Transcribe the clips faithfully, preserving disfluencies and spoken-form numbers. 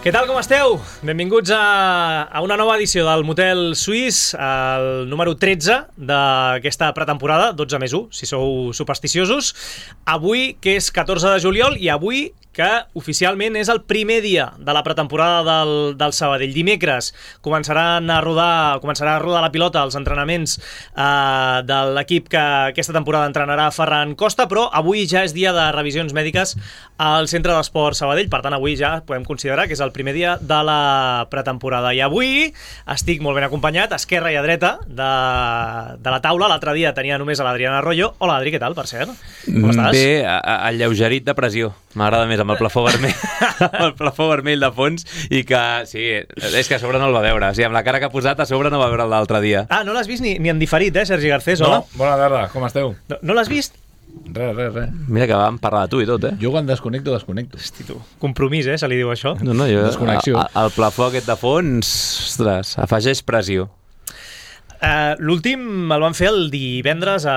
Què tal, com esteu? Benvinguts a, a una nova edició del Motel Suís, el número tretze d'aquesta pretemporada, dotze més u, si sou supersticiosos. Avui, que és catorze de juliol, i avui que oficialment és el primer dia de la pretemporada del, del Sabadell. Dimecres començaran a rodar, començarà a rodar la pilota als entrenaments eh, de l'equip que aquesta temporada entrenarà Ferran Costa, però avui ja és dia de revisions mèdiques al Centre d'Esport Sabadell, per tant avui ja podem considerar que és el primer dia de la pretemporada. I avui estic molt ben acompanyat, a esquerra i a dreta de, de la taula. L'altre dia tenia només a l'Adriana Arroyo. Hola, Adri, què tal, per cert? Com estàs? Bé, alleugerit de pressió. M'agrada més amb el plafó vermell, el plafó vermell de fons, i que, sí, és que a sobre no el va veure. O sigui, amb la cara que ha posat, a sobre no va veure l'altre dia. Ah, no l'has vist ni, ni en diferit, eh, Sergi Garcés? Hola. No, bona tarda, com esteu? No, no l'has vist? Res, res, res. Mira que vam parlar de tu i tot, eh? Jo quan desconnecto, desconnecto. Hosti, tu. Compromís, eh, se li diu això. No, no, jo... Desconnexió. a- a- El plafó aquest de fons, ostres, afegeix pressió. Uh, L'últim el van fer el divendres a,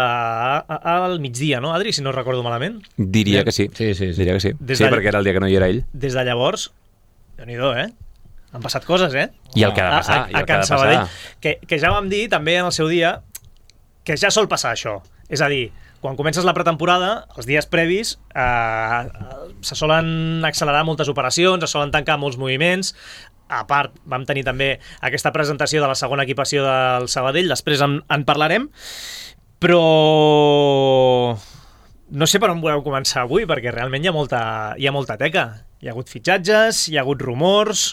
a, al migdia, no, Adri, si no recordo malament? Diria que sí. Sí, sí, sí. Diria que sí. Des Sí, d'all- perquè era el dia que no hi era ell. Des de llavors, déu-n'hi-do, eh? Han passat coses, eh? I el que ha de passar, a, i a, el a que ha Can de Sabadell, passar. que, que ja vam dir també en el seu dia que ja sol passar això. És a dir, quan comences la pretemporada, els dies previs eh, se solen accelerar moltes operacions, es solen tancar molts moviments. A part, vam tenir també aquesta presentació de la segona equipació del Sabadell, després en, en parlarem, però no sé per on voleu començar avui, perquè realment hi ha molta, hi ha molta teca. Hi ha hagut fitxatges, hi ha hagut rumors,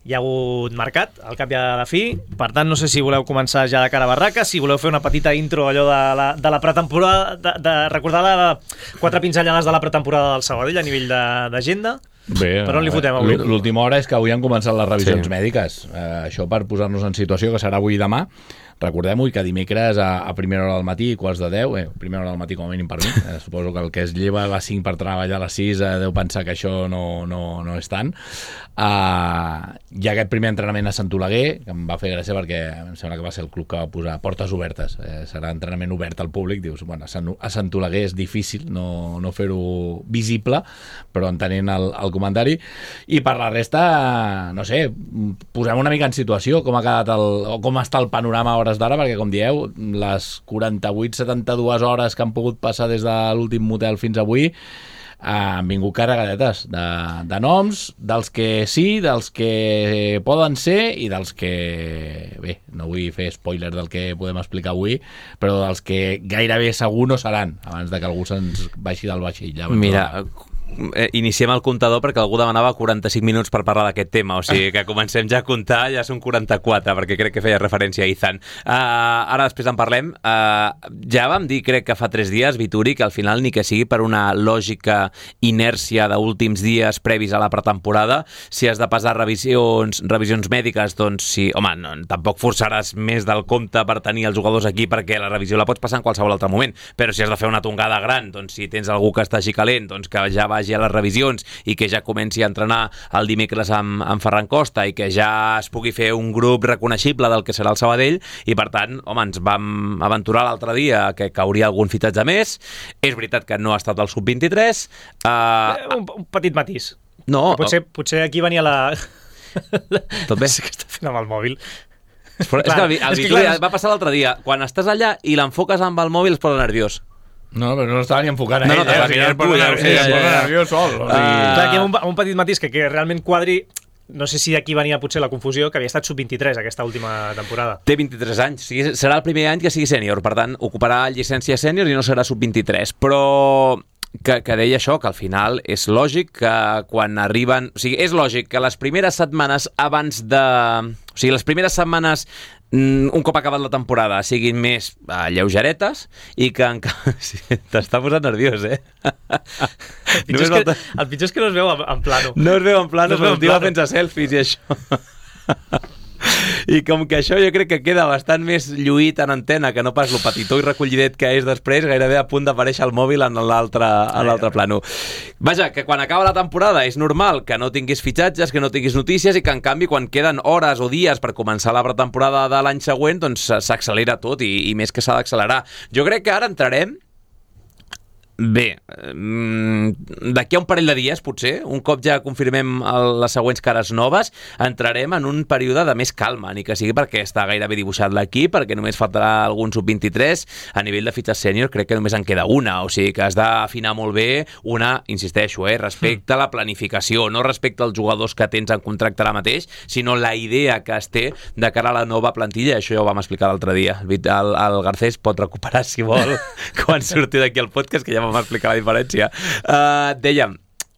hi ha hagut mercat, al cap i a la fi. Per tant, no sé si voleu començar ja de cara a barraca, si voleu fer una petita intro allò de la, de la pretemporada, de, de recordar la, quatre pinzellades de la pretemporada del Sabadell a nivell d'agenda. Bé, Per on li fotem avui? l'última hora és que avui han començat les revisions Sí. mèdiques. Eh, això per posar-nos en situació, que serà avui i demà. Recordem-ho, que dimecres a, a primera hora del matí, quarts de deu, eh, primera hora del matí com a mínim per mi, eh, suposo que el que es lleva a les cinc per treballar a les sis eh, deu pensar que això no, no, no és tant. Uh, hi ha aquest primer entrenament a Sant Oleguer, que em va fer gràcia perquè em sembla que va ser el club que va posar portes obertes, eh, serà entrenament obert al públic. Dius, bueno, a Sant, a Sant Oleguer és difícil no, no fer-ho visible, però entenent el, el comentari. I per la resta, no sé, posem una mica en situació com ha quedat el, o com està el panorama a hores d'ara, perquè com dieu, les quaranta-vuit setanta-dues hores que han pogut passar des de l'últim motel fins avui eh, han vingut carregadetes de, de noms, dels que sí, dels que poden ser i dels que, bé, no vull fer spoiler del que podem explicar avui, però dels que gairebé segur no seran abans de que algú se'ns baixi del vaixell. Ja Mira, eh, iniciem el comptador perquè algú demanava quaranta-cinc minuts per parlar d'aquest tema, o sigui que comencem ja a comptar, ja són quaranta-quatre, perquè crec que feia referència a Izan. Uh, ara després en parlem. Uh, ja vam dir, crec que fa tres dies, Vituri, que al final ni que sigui per una lògica inèrcia d'últims dies previs a la pretemporada, si has de passar revisions, revisions mèdiques, doncs sí, home, no, tampoc forçaràs més del compte per tenir els jugadors aquí, perquè la revisió la pots passar en qualsevol altre moment, però si has de fer una tongada gran, doncs si tens algú que està així calent, doncs que ja vagi a les revisions i que ja comenci a entrenar el dimecres amb, amb Ferran Costa i que ja es pugui fer un grup reconeixible del que serà el Sabadell. I per tant, home, ens vam aventurar l'altre dia que cauria algun fitatge més. És veritat que no ha estat el sub vint-i-tres. Uh, Un, un petit matís. no, Potser, potser aquí venia la... tot bé. Sé que està fent amb el mòbil. Però és Clar, que el, el és que Vituri clar, és- va passar l'altre dia. Quan estàs allà i l'enfoques amb el mòbil es posa nerviós. No, però no estava ni enfocant a No, ell, no, eh? t'estava O sigui, mirant es posa tu, ja ho nerviós, sé, es ja, posa ja, ja. nerviós sol. O sigui... Ah. Clar, aquí hi ha un, un petit matís que, que realment Quadri, no sé si d'aquí venia potser la confusió, que havia estat sub vint-i-tres aquesta última temporada. Té vint-i-tres anys, o sigui, serà el primer any que sigui sènior, per tant, ocuparà llicència sènior i no serà sub vint-i-tres, però que, que deia això, que al final és lògic que quan arriben... O sigui, és lògic que les primeres setmanes abans de... O sigui, les primeres setmanes un cop acabat la temporada siguin més uh, lleugeretes i que encara... Sí, t'està posant nerviós, eh? El pitjor, és que, el pitjor és que no es veu en, en plano. No es veu en plano, No es veu però en el tio va plano. fent-se selfies i això. I com que això jo crec que queda bastant més lluït en antena que no pas lo petitó i recollidet que és després, gairebé a punt d'aparèixer el mòbil en l'altre en l'altre plano. Vaja, que quan acaba la temporada és normal que no tinguis fitxatges, que no tinguis notícies i que en canvi quan queden hores o dies per començar la pretemporada de l'any següent doncs s'accelera tot i, i més que s'ha d'accelerar. Jo crec que ara entrarem Bé, d'aquí a un parell de dies, potser, un cop ja confirmem les següents cares noves, entrarem en un període de més calma, ni que sigui perquè està gairebé dibuixat l'equip, perquè només faltarà algun sub vint-i-tres. A nivell de fitxes sènior crec que només en queda una, o sigui que has d'afinar molt bé una, insisteixo, eh, respecte a la planificació, no respecte als jugadors que tens en contracte ara mateix, sinó la idea que es té de cara a la nova plantilla. Això ja ho vam explicar l'altre dia. El, el Garcés pot recuperar, si vol, quan surti d'aquí el podcast, que ja vam explicar la diferència. Uh, dèiem,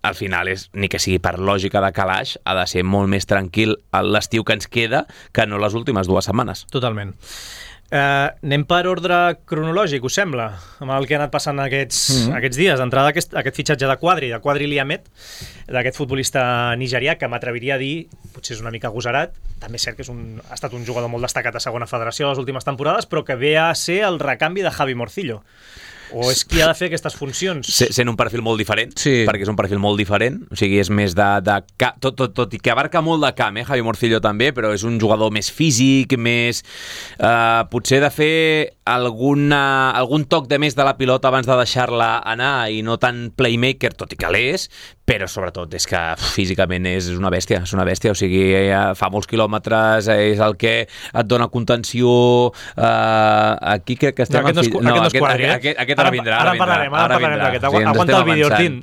al final, és, ni que sigui per lògica de calaix, ha de ser molt més tranquil l'estiu que ens queda que no les últimes dues setmanes. Totalment. Uh, anem per ordre cronològic, us sembla? Amb el que ha anat passant aquests, mm-hmm. aquests dies. D'entrada, aquest, aquest fitxatge de Quadri, de Quadri Liamet, d'aquest futbolista nigerià, que m'atreviria a dir, potser és una mica agosarat, també és cert que és un, ha estat un jugador molt destacat a segona federació les últimes temporades, però que ve a ser el recanvi de Javi Morcillo. O és qui ha de fer aquestes funcions? Sent un perfil molt diferent, sí. perquè és un perfil molt diferent, o sigui, és més de... de tot, tot, tot i que abarca molt de camp, eh, Javi Morcillo també, però és un jugador més físic, més... Eh, potser de fer alguna, algun toc de més de la pilota abans de deixar-la anar i no tan playmaker, tot i que l'és, però sobretot és que físicament és una bèstia, és una bèstia, o sigui, fa molts quilòmetres, és el que et dona contenció, eh, aquí crec que estem... No, aquest no és, no, aquest, aquest, quadre, aquest, aquest ara, ara vindrà, ara, ara vindrà. Parlarem, ara, ara parlarem d'aquest, sí, aguanta el vídeo, Ortín.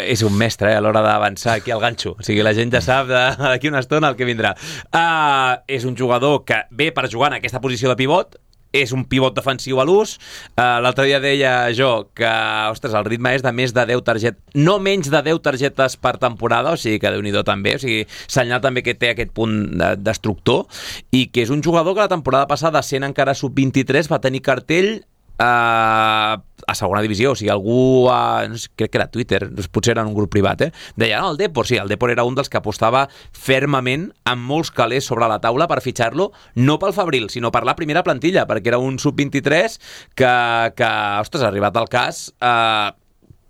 És un mestre, eh, a l'hora d'avançar aquí al ganxo, o sigui, la gent ja sap d'aquí una estona el que vindrà. Uh, és un jugador que ve per jugar en aquesta posició de pivot, és un pivot defensiu a l'ús. Uh, l'altre dia deia jo que, ostres, el ritme és de més de deu targetes, no menys de deu targetes per temporada, o sigui que Déu-n'hi-do també, o sigui, senyal també que té aquest punt de, destructor, i que és un jugador que la temporada passada, sent encara sub vint-i-tres, va tenir cartell Uh, a segona divisió, o sigui, algú uh, no sé, crec que era Twitter, potser era en un grup privat, eh? Deia, no, el Depor, sí, el Depor era un dels que apostava fermament amb molts calés sobre la taula per fitxar-lo, no pel Fabril, sinó per la primera plantilla, perquè era un sub vint-i-tres que, que ostres, ha arribat al cas, uh,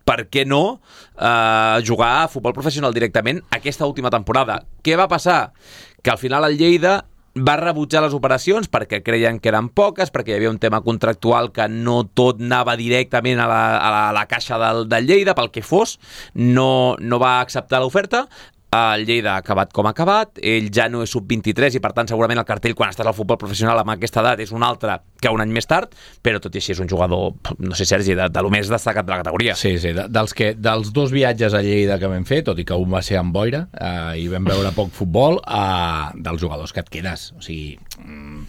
per què no uh, jugar a futbol professional directament aquesta última temporada. Què va passar? Que al final el Lleida va rebutjar les operacions perquè creien que eren poques, perquè hi havia un tema contractual que no tot anava directament a la, a la, a la caixa del, del Lleida, pel que fos, no, no va acceptar l'oferta. El Lleida ha acabat com ha acabat, ell ja no és sub vint-i-tres i per tant segurament el cartell quan estàs al futbol professional amb aquesta edat és un altre que un any més tard, però tot i així és un jugador, no sé, Sergi, de, de lo més destacat de la categoria. Sí, sí, de, dels, que, dels dos viatges a Lleida que vam fer, tot i que un va ser amb boira eh, i vam veure poc futbol, eh, dels jugadors que et quedes, o sigui,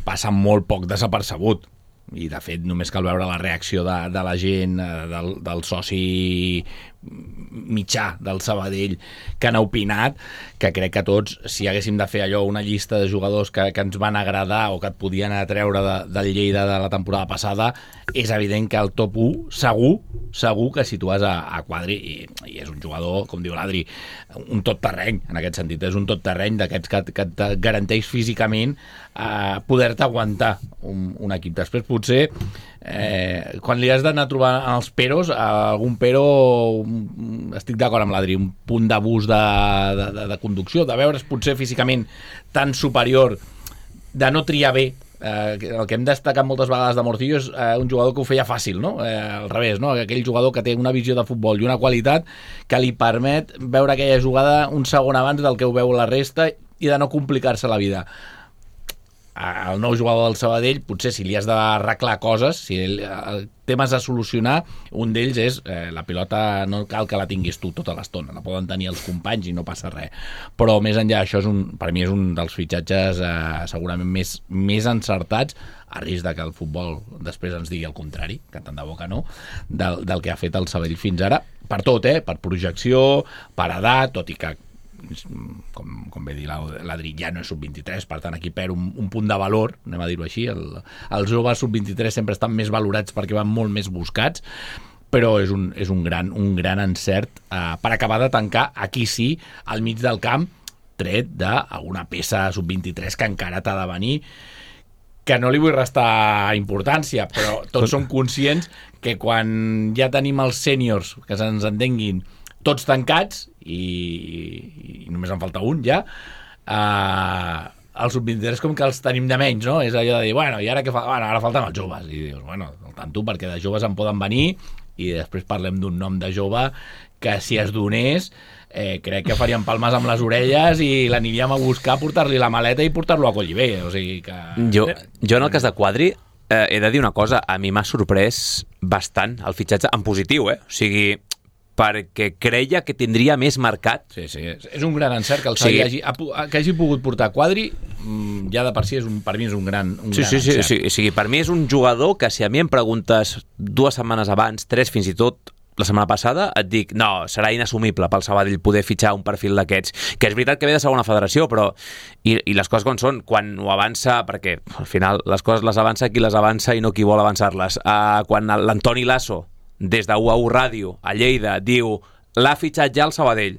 passa molt poc desapercebut. I de fet només cal veure la reacció de, de la gent, del, del soci mitjà del Sabadell que han opinat, que crec que tots, si haguéssim de fer allò, una llista de jugadors que, que ens van agradar o que et podien atreure de, del Lleida de la temporada passada, és evident que el top u segur, segur que situes a, a Quadri i, i és un jugador, com diu l'Adri, un tot terreny, en aquest sentit, és un tot terreny d'aquests que, que et garanteix físicament eh, poder-te aguantar un, un equip. Després potser eh, quan li has d'anar a trobar els peros, algun pero, estic d'acord amb l'Adri, un punt d'abús de, de, de, de conducció, de veure's potser físicament tan superior, de no triar bé. Eh, el que hem destacat moltes vegades de Morcillo és eh, un jugador que ho feia fàcil, no? Eh, al revés, no? Aquell jugador que té una visió de futbol i una qualitat que li permet veure aquella jugada un segon abans del que ho veu la resta i de no complicar-se la vida. El nou jugador del Sabadell, potser si li has d'arreglar coses, si el, el temes a solucionar, un d'ells és eh, la pilota no cal que la tinguis tu tota l'estona, la poden tenir els companys i no passa res, però més enllà això és un, per mi és un dels fitxatges eh, segurament més, més encertats, a risc de que el futbol després ens digui el contrari, que tant de bo que no, del, del que ha fet el Sabadell fins ara, per tot, eh? Per projecció, per edat, tot i que com, com bé dir l'Adri, ja no és sub vint-i-tres, per tant aquí perd un, un punt de valor, anem a dir-ho així, el, els joves sub vint-i-tres sempre estan més valorats perquè van molt més buscats, però és un, és un, gran, un gran encert eh, per acabar de tancar, aquí sí, al mig del camp, tret d'alguna peça sub vint-i-tres que encara t'ha de venir, que no li vull restar importància, però tots som conscients que quan ja tenim els sèniors, que se'ns entenguin, tots tancats, i, i només en falta un ja, eh, els sub vint-i-tres com que els tenim de menys, no? És allò de dir, bueno, i ara què fa? Bueno, ara falten els joves. I dius, bueno, al tanto, perquè de joves en poden venir i després parlem d'un nom de jove que si es donés eh, crec que farien palmes amb les orelles i l'aniríem a buscar, portar-li la maleta i portar-lo a Collibé, o sigui que... Jo, jo en el cas de Quadri eh, he de dir una cosa, a mi m'ha sorprès bastant el fitxatge en positiu, eh? O sigui, perquè creia que tindria més mercat. Sí, sí, és un gran encert que el Sabadell sí. hagi, que hagi pogut portar Quadri, ja de per si és un, per mi és un gran, un sí, gran sí, sí, encert. Sí, sí, per mi és un jugador que si a mi em preguntes dues setmanes abans, tres fins i tot, la setmana passada, et dic, no, serà inassumible pel Sabadell poder fitxar un perfil d'aquests, que és veritat que ve de segona federació, però i, i les coses com són, quan ho avança, perquè al final les coses les avança qui les avança i no qui vol avançar-les, uh, quan l'Antoni Lasso des de U A U Ràdio a Lleida diu, l'ha fitxat ja el Sabadell,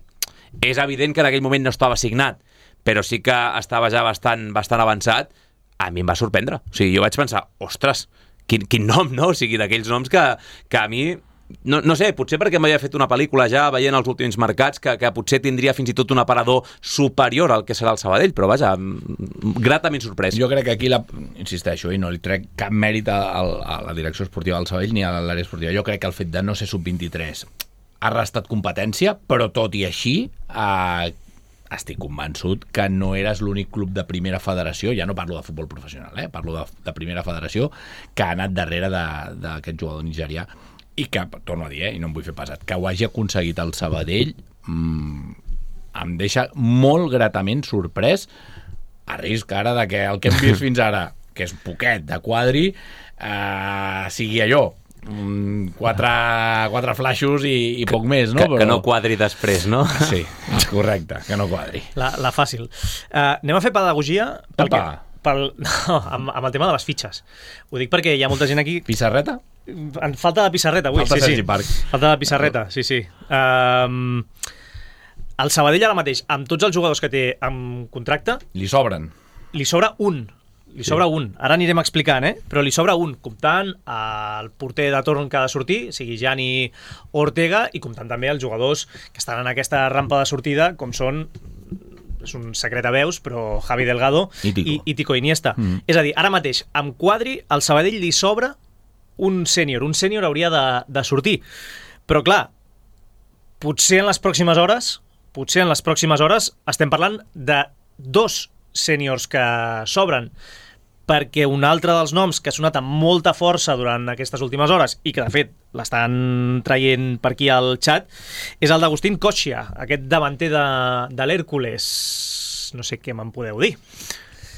és evident que en aquell moment no estava signat, però sí que estava ja bastant, bastant avançat. A mi em va sorprendre, o sigui, jo vaig pensar, ostres, quin, quin nom, no? O sigui, d'aquells noms que, que a mi no, no sé, potser perquè m'havia fet una pel·lícula ja veient els últims mercats que, que potser tindria fins i tot un aparador superior al que serà el Sabadell, però vaja, gratament sorprès. Jo crec que aquí, la, insisteixo, i no li trec cap mèrit a, a la direcció esportiva del Sabadell ni a l'àrea esportiva, jo crec que el fet de no ser sub vint-i-tres ha restat competència, però tot i així eh, estic convençut que no eres l'únic club de primera federació, ja no parlo de futbol professional, eh, parlo de, de primera federació, que ha anat darrere d'aquest jugador nigerià, i que, torno a dir, eh, i no em vull fer pesat, que ho hagi aconseguit el Sabadell mmm, em deixa molt gratament sorprès, a risc ara de que el que hem vist fins ara, que és poquet de Quadri, eh, sigui allò, mm, quatre, quatre flaixos i, i poc més, no? Que, que no quadri després, no? Sí, correcte, que no quadri. La, la fàcil. Uh, anem a fer pedagogia pel que, pel, no, amb, amb el tema de les fitxes. Ho dic perquè hi ha molta gent aquí... Pissarreta? En falta de pissarreta avui, falta sí, sí. Park. Falta de pissarreta, sí, sí. Um, el Sabadell ara mateix, amb tots els jugadors que té amb contracte... Li sobren. Li sobra un. Li sobra sí. un. Ara anirem explicant, eh? Però li sobra un, comptant el porter de torn que ha de sortir, sigui Gianni Ortega, i comptant també els jugadors que estan en aquesta rampa de sortida, com són... és un secret a veus, però Javi Delgado i Tico, i, i Tico Iniesta. Mm. És a dir, ara mateix, amb Quadri, al Sabadell li sobra un sènior. Un sènior hauria de, de sortir. Però, clar, potser en les pròximes hores, potser en les pròximes hores estem parlant de dos sèniors que sobren, perquè un altre dels noms que ha sonat amb molta força durant aquestes últimes hores i que, de fet, l'estan traient per aquí al xat, és el d'Agustín Kochia, aquest davanter de, de l'Hèrcules. No sé què me'n podeu dir.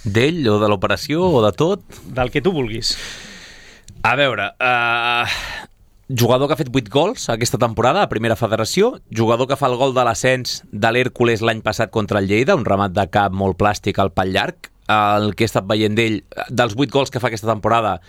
D'ell o de l'operació o de tot? Del que tu vulguis. A veure, uh, jugador que ha fet vuit gols aquesta temporada a Primera Federació, jugador que fa el gol de l'ascens de l'Hèrcules l'any passat contra el Lleida, un remat de cap molt plàstic al pal llarg. El que he estat veient d'ell, dels vuit gols que fa aquesta temporada,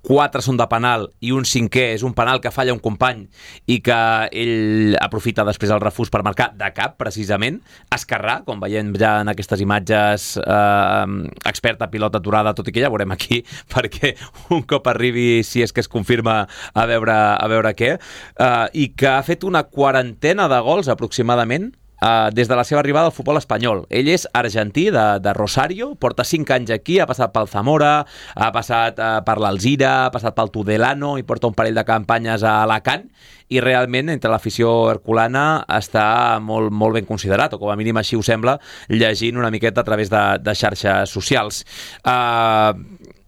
quatre són de penal i un cinquè és un penal que falla un company i que ell aprofita després el refús per marcar de cap, precisament. Esquerrà, com veiem ja en aquestes imatges, eh, experta pilota aturada, tot i que ja veurem aquí, perquè un cop arribi, si és que es confirma, a veure, a veure què, eh, i que ha fet una quarantena de gols aproximadament Uh, des de la seva arribada al futbol espanyol. Ell és argentí, de, de Rosario, porta cinc anys aquí, ha passat pel Zamora, ha passat uh, per l'Alzira, ha passat pel Tudelano i porta un parell de campanyes a Alacant, i realment entre l'afició herculana està molt, molt ben considerat, o com a mínim així ho sembla, llegint una miqueta a través de, de xarxes socials. Uh,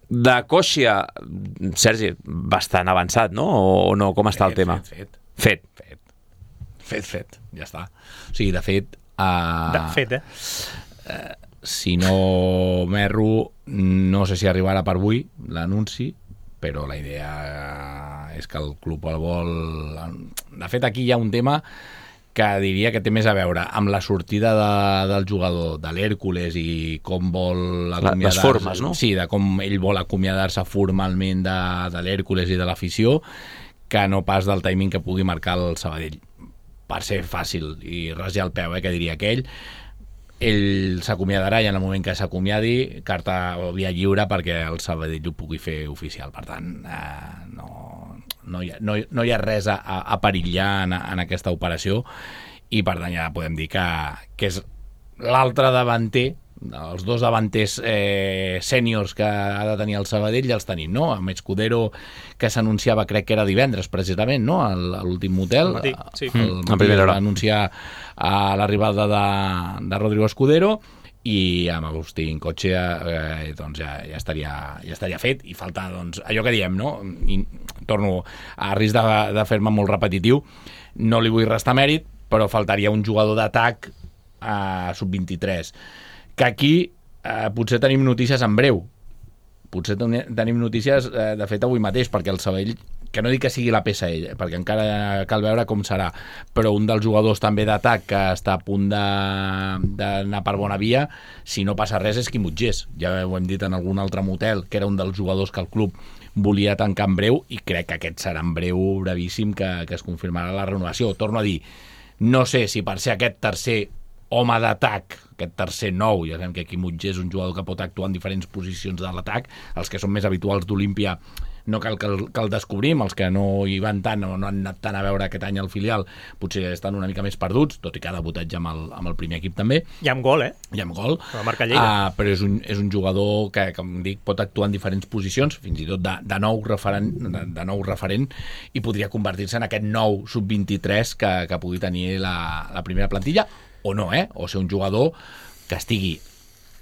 de Kochia, Sergi, bastant avançat, no? O no? Com està el tema? Fet, fet. Fet. Fet. Fet, fet, ja està. O sigui, de fet... Uh, de fet, eh? Uh, si no m'erro, no sé si arribarà per avui l'anunci, però la idea és que el club el vol... De fet, aquí hi ha un tema que diria que té més a veure amb la sortida de, del jugador de l'Hèrcules i com vol acomiadar-se... Les formes, no? Sí, de com ell vol acomiadar-se formalment de, de l'Hèrcules i de l'afició, que no pas del timing que pugui marcar el Sabadell. Per ser fàcil i rasgar el peu, eh, que diria aquell, ell s'acomiadarà i en el moment que s'acomiadi, carta o via lliure perquè el Sabadell ho pugui fer oficial. Per tant, eh, no, no, hi ha, no, no hi ha res a, a perillar en, en aquesta operació, i per tant ja podem dir que, que és l'altre davanter els dos davanters eh, sèniors que ha de tenir el Sabadell ja els tenim, no? Amb Escudero, que s'anunciava, crec que era divendres precisament, no? A l'últim motel, matí, sí. el matí va anunciar a l'arribada de, de Rodrigo Escudero, i amb Agustín Cotxea eh, doncs ja, ja, estaria, ja estaria fet, i falta doncs, allò que diem, no? I torno a risc de, de fer-me molt repetitiu, no li vull restar mèrit, però faltaria un jugador d'atac a sub vint-i-tres, que aquí eh, potser tenim notícies en breu, potser tenim notícies eh, de fet avui mateix, perquè el Sabadell, que no dic que sigui la peça ell, perquè encara cal veure com serà, però un dels jugadors també d'atac que està a punt d'anar per bona via, si no passa res, és Quim Utgés. Ja ho hem dit en algun altre motel, que era un dels jugadors que el club volia tancar en breu, i crec que aquest serà en breu, brevíssim, que, que es confirmarà la renovació. Torno a dir, no sé si per ser aquest tercer home d'atac, aquest tercer nou, ja sabem que Quim Utgés és un jugador que pot actuar en diferents posicions de l'atac, els que són més habituals d'Olímpia no cal que el, que el descobrim, els que no hi van tant o no han anat tant a veure aquest any al filial potser estan una mica més perduts, tot i que ha debutat ja amb el, amb el primer equip també. I amb gol, eh? I amb gol. La marca Lleida. Uh, però és un, és un jugador que, com dic, pot actuar en diferents posicions, fins i tot de, de, nou, referent, de, de nou referent, i podria convertir-se en aquest nou sub vint-i-tres que, que pugui tenir la, la primera plantilla, o no, eh? O ser un jugador que estigui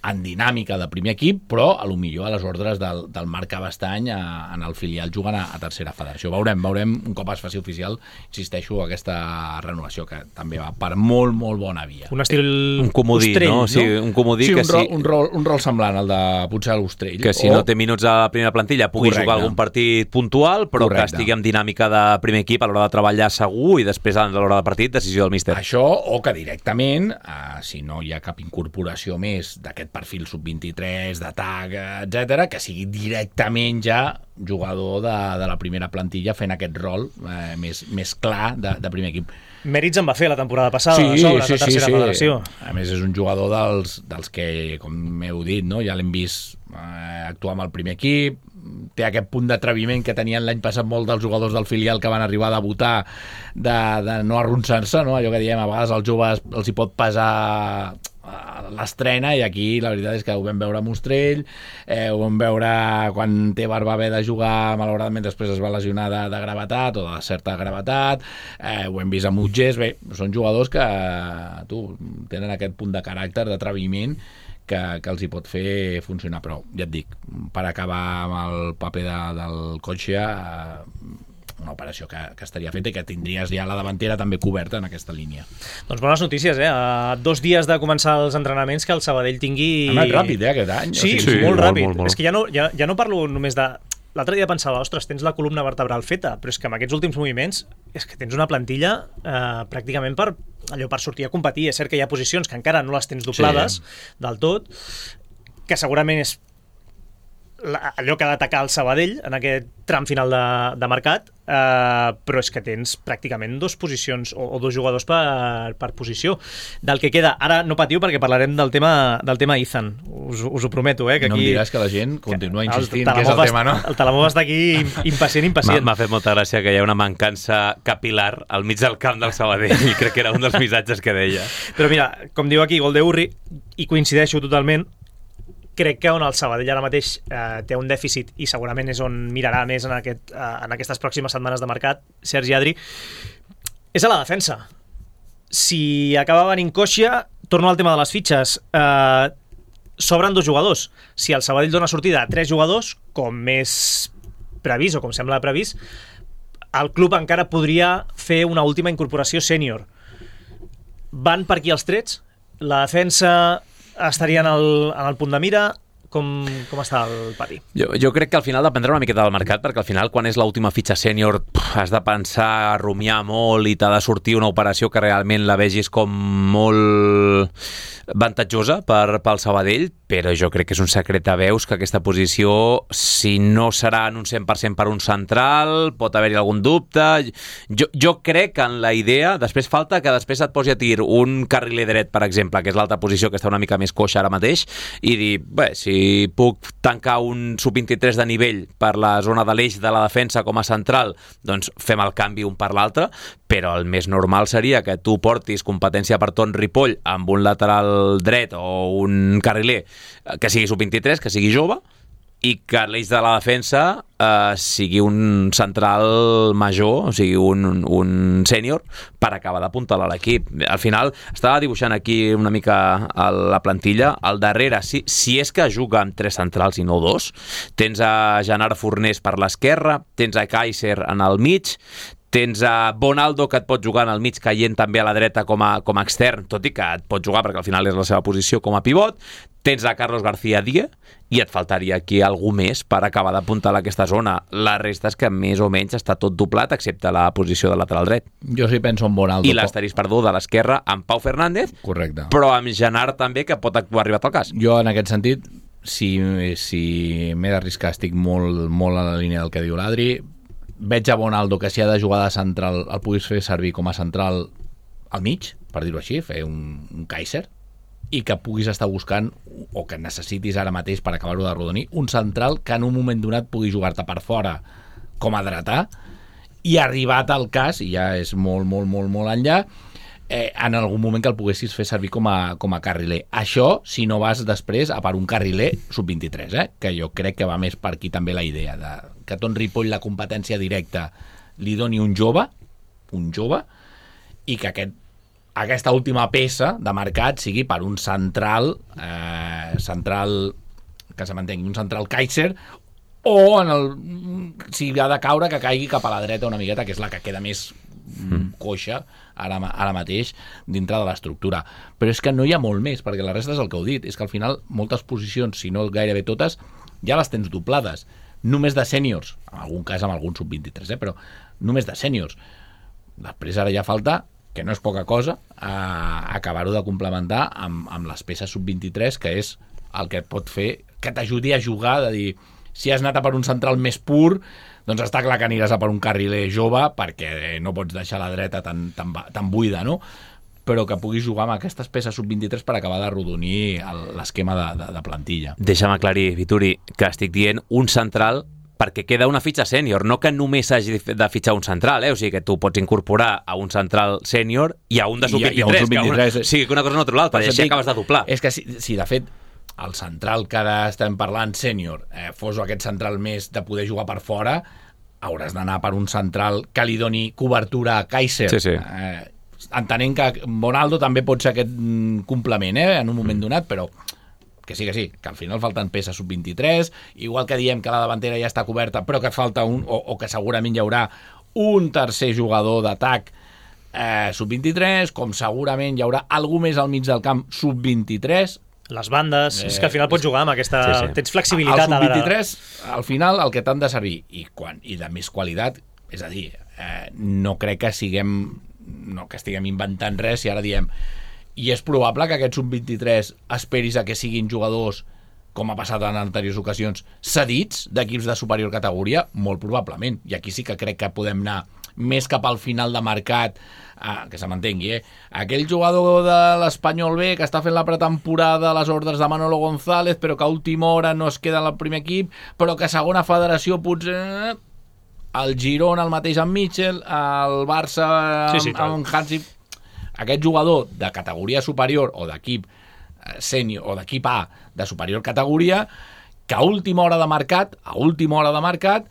en dinàmica de primer equip, però a lo millor a les ordres del, del Marc Cabestany a, en el filial jugant a, a tercera federació. Veurem, veurem un cop es faci oficial, insisteixo, aquesta renovació que també va per molt, molt bona via. Un estil un comodí, Ostrell, no? Sí, un comodí sí, que un rol, sí. Un rol, un rol semblant al de potser a l'Ostrell. Que si o... no té minuts a la primera plantilla pugui Correcte. jugar algun partit puntual, però Correcte. que estigui en dinàmica de primer equip a l'hora de treballar segur, i després a l'hora del partit, decisió del míster. Això, o que directament, eh, si no hi ha cap incorporació més d'aquest perfil sub vint-i-tres, d'atac, etcètera, que sigui directament ja jugador de, de la primera plantilla fent aquest rol eh, més, més clar de, de primer equip. Mèrits en va fer la temporada passada, sí, de sobre, sí, la tercera sí, sí. federació. A més, és un jugador dels, dels que, com heu dit, no? Ja l'hem vist eh, actuar amb el primer equip, té aquest punt d'atreviment que tenien l'any passat molt dels jugadors del filial que van arribar a debutar, de, de no arronsar-se, no? Allò que diem, a vegades als joves els hi pot pesar l'estrena, i aquí la veritat és que ho vam veure amb Ostrell, eh, ho vam veure quan Tebar va haver de jugar, malauradament després es va lesionar de, de gravetat o de certa gravetat, eh, ho hem vist amb Utgés. Bé, són jugadors que tu, tenen aquest punt de caràcter, d'atreviment, que, que els hi pot fer funcionar, però ja et dic, per acabar amb el paper de, del Cotxea, eh, una operació que, que estaria feta i que tindries ja la davantera també coberta en aquesta línia. Doncs bones notícies, eh? A dos dies de començar els entrenaments, que el Sabadell tingui... Ha anat ràpid, eh, aquest any. Sí, o sigui, sí, molt molt, ràpid. molt, molt. És que ja no, ja, ja no parlo només de... L'altre dia pensava, ostres, tens la columna vertebral feta, però és que amb aquests últims moviments és que tens una plantilla eh, pràcticament per, allò, per sortir a competir. És cert que hi ha posicions que encara no les tens doblades sí. del tot, que segurament és la, allò que ha d'atacar el Sabadell en aquest tram final de, de mercat, eh, però és que tens pràcticament dos posicions o, o dos jugadors per, per posició. Del que queda, ara no patiu perquè parlarem del tema del tema Ethan, us, us ho prometo, eh, que aquí... No em diràs que la gent continua insistint el, que és el tema, no? El Talamova està aquí impacient, impacient. M'ha fet molta gràcia que hi ha una mancança capilar al mig del camp del Sabadell, i crec que era un dels missatges que deia. Però mira, com diu aquí Gol de Urri, i coincideixo totalment, crec que on el Sabadell ara mateix eh, té un dèficit, i segurament és on mirarà més en, aquest, eh, en aquestes pròximes setmanes de mercat, Sergi Adri, és a la defensa. Si acaba venint Cotxea, torno al tema de les fitxes, eh, sobren dos jugadors. Si el Sabadell dona sortida a tres jugadors, com més previst o com sembla previst, el club encara podria fer una última incorporació sènior. Van per aquí els trets? La defensa estaria en el, en el punt de mira? Com, com està el pati? Jo, jo crec que al final dependrà una miqueta del mercat, perquè al final, quan és l'última fitxa sènior, has de pensar, rumiar molt, i t'ha de sortir una operació que realment la vegis com molt avantatjosa per, pel Sabadell. però jo crec que és un secret a veus que aquesta posició, si no serà en un cent per cent per un central, pot haver-hi algun dubte. Jo, jo crec que en la idea, després falta que després et posi a tir un carriler dret, per exemple, que és l'altra posició que està una mica més coixa ara mateix, i dir, bé, si puc tancar un sub vint-i-tres de nivell per la zona de l'eix de la defensa com a central, doncs fem el canvi un per l'altre, però el més normal seria que tu portis competència per Ton Ripoll amb un lateral dret o un carriler que sigui sub vint-i-tres, que sigui jove, i que l'eix de la defensa eh, sigui un central major, o sigui un, un sènior, per acabar d'apuntalar l'equip. Al final, estava dibuixant aquí una mica a la plantilla, al darrere, si, si és que juga amb tres centrals i no dos, tens a Gerard Fornés per l'esquerra, tens a Kaiser en el mig, tens a Bonaldo, que et pot jugar en el mig caient també a la dreta com a, com a extern, tot i que et pot jugar perquè al final és la seva posició com a pivot, tens a Carlos García Díaz i et faltaria aquí algú més per acabar d'apuntalar aquesta zona. La resta és que més o menys està tot doblat excepte la posició de lateral dret. Jo sí penso en Bonaldo. I l'asterís, perdó, de l'esquerra amb Pau Fernández. Correcte. Però amb Genard també, que pot haver arribat al cas. Jo en aquest sentit, si, si m'he d'arriscar, estic molt, molt a la línia del que diu l'Adri. Veig a Bonaldo que si ha de jugar de central el puguis fer servir com a central al mig, per dir-ho així, fer un, un Kaiser, i que puguis estar buscant, o que necessitis ara mateix per acabar-ho de rodonir, un central que en un moment donat pugui jugar-te per fora com a dretà, i arribat al cas, i ja és molt, molt, molt, molt enllà, eh, en algun moment que el poguessis fer servir com a, com a carriler. Això, si no vas després a per un carriler sub vint-i-tres, eh? Que jo crec que va més per aquí també la idea de que Ton Ripoll la competència directa li doni un jove, un jove, i que aquest, aquesta última peça de mercat sigui per un central, eh, central, que se m'entengui, un central Kaiser, o en el, si ha de caure, que caigui cap a la dreta una miqueta, que és la que queda més mm. coixa ara, ara mateix dintre de l'estructura. Però és que no hi ha molt més, perquè la resta és el que heu dit, és que al final moltes posicions, si no gairebé totes, ja les tens doblades. Només de sèniors, en algun cas amb algun sub vint-i-tres, eh? Però només de sèniors. Després ara ja falta, que no és poca cosa, a acabar-ho de complementar amb, amb les peces sub vint-i-tres, que és el que et pot fer, que t'ajudi a jugar, de dir, si has anat a per un central més pur, doncs està clar que aniràs a per un carriler jove, perquè no pots deixar la dreta tan, tan, tan buida, no? Però que puguis jugar amb aquestes peces sub vint-i-tres per acabar d'arrodonir l'esquema de, de, de plantilla. Deixa'm aclarir, Vituri, que estic dient un central perquè queda una fitxa sènior, no que només hagi de fitxar un central, eh? O sigui que tu pots incorporar a un central sènior i a un de sub vint-i-tres, que una, o sigui que una cosa no treu l'altra, i així acabes de doblar. És que si, si de fet el central que ara estem parlant sènior eh, fos aquest central més de poder jugar per fora, hauràs d'anar per un central que li doni cobertura a Kaiser. Sí, sí. Eh, entenent que Bonaldo també pot ser aquest complement, eh, en un moment donat, però que sí, que sí, que al final falten peces sub vint-i-tres, igual que diem que la davantera ja està coberta, però que falta un, o, o que segurament hi haurà un tercer jugador d'atac eh, sub vint-i-tres, com segurament hi haurà algú més al mig del camp sub vint-i-tres. Les bandes, eh, és que al final pots jugar amb aquesta... Sí, sí. Tens flexibilitat. Al sub vint-i-tres, al final, el que t'han de servir, i, quan, i de més qualitat, és a dir, eh, no crec que siguem... no que estiguem inventant res i ara diem i és probable que aquest sub vint-i-tres esperis a que siguin jugadors, com ha passat en anteriors ocasions, cedits d'equips de superior categoria, molt probablement, i aquí sí que crec que podem anar més cap al final de mercat, ah, que se m'entengui, eh? Aquell jugador de l'Espanyol B que està fent la pretemporada a les ordres de Manolo González, però que a última hora no es queda en el primer equip, però que a segona federació potser... el Girona el mateix amb Mitchell, el Barça amb, sí, sí, amb Hansi, aquest jugador de categoria superior o d'equip sènior o d'equip A de superior categoria, que a última hora de mercat, a última hora de mercat,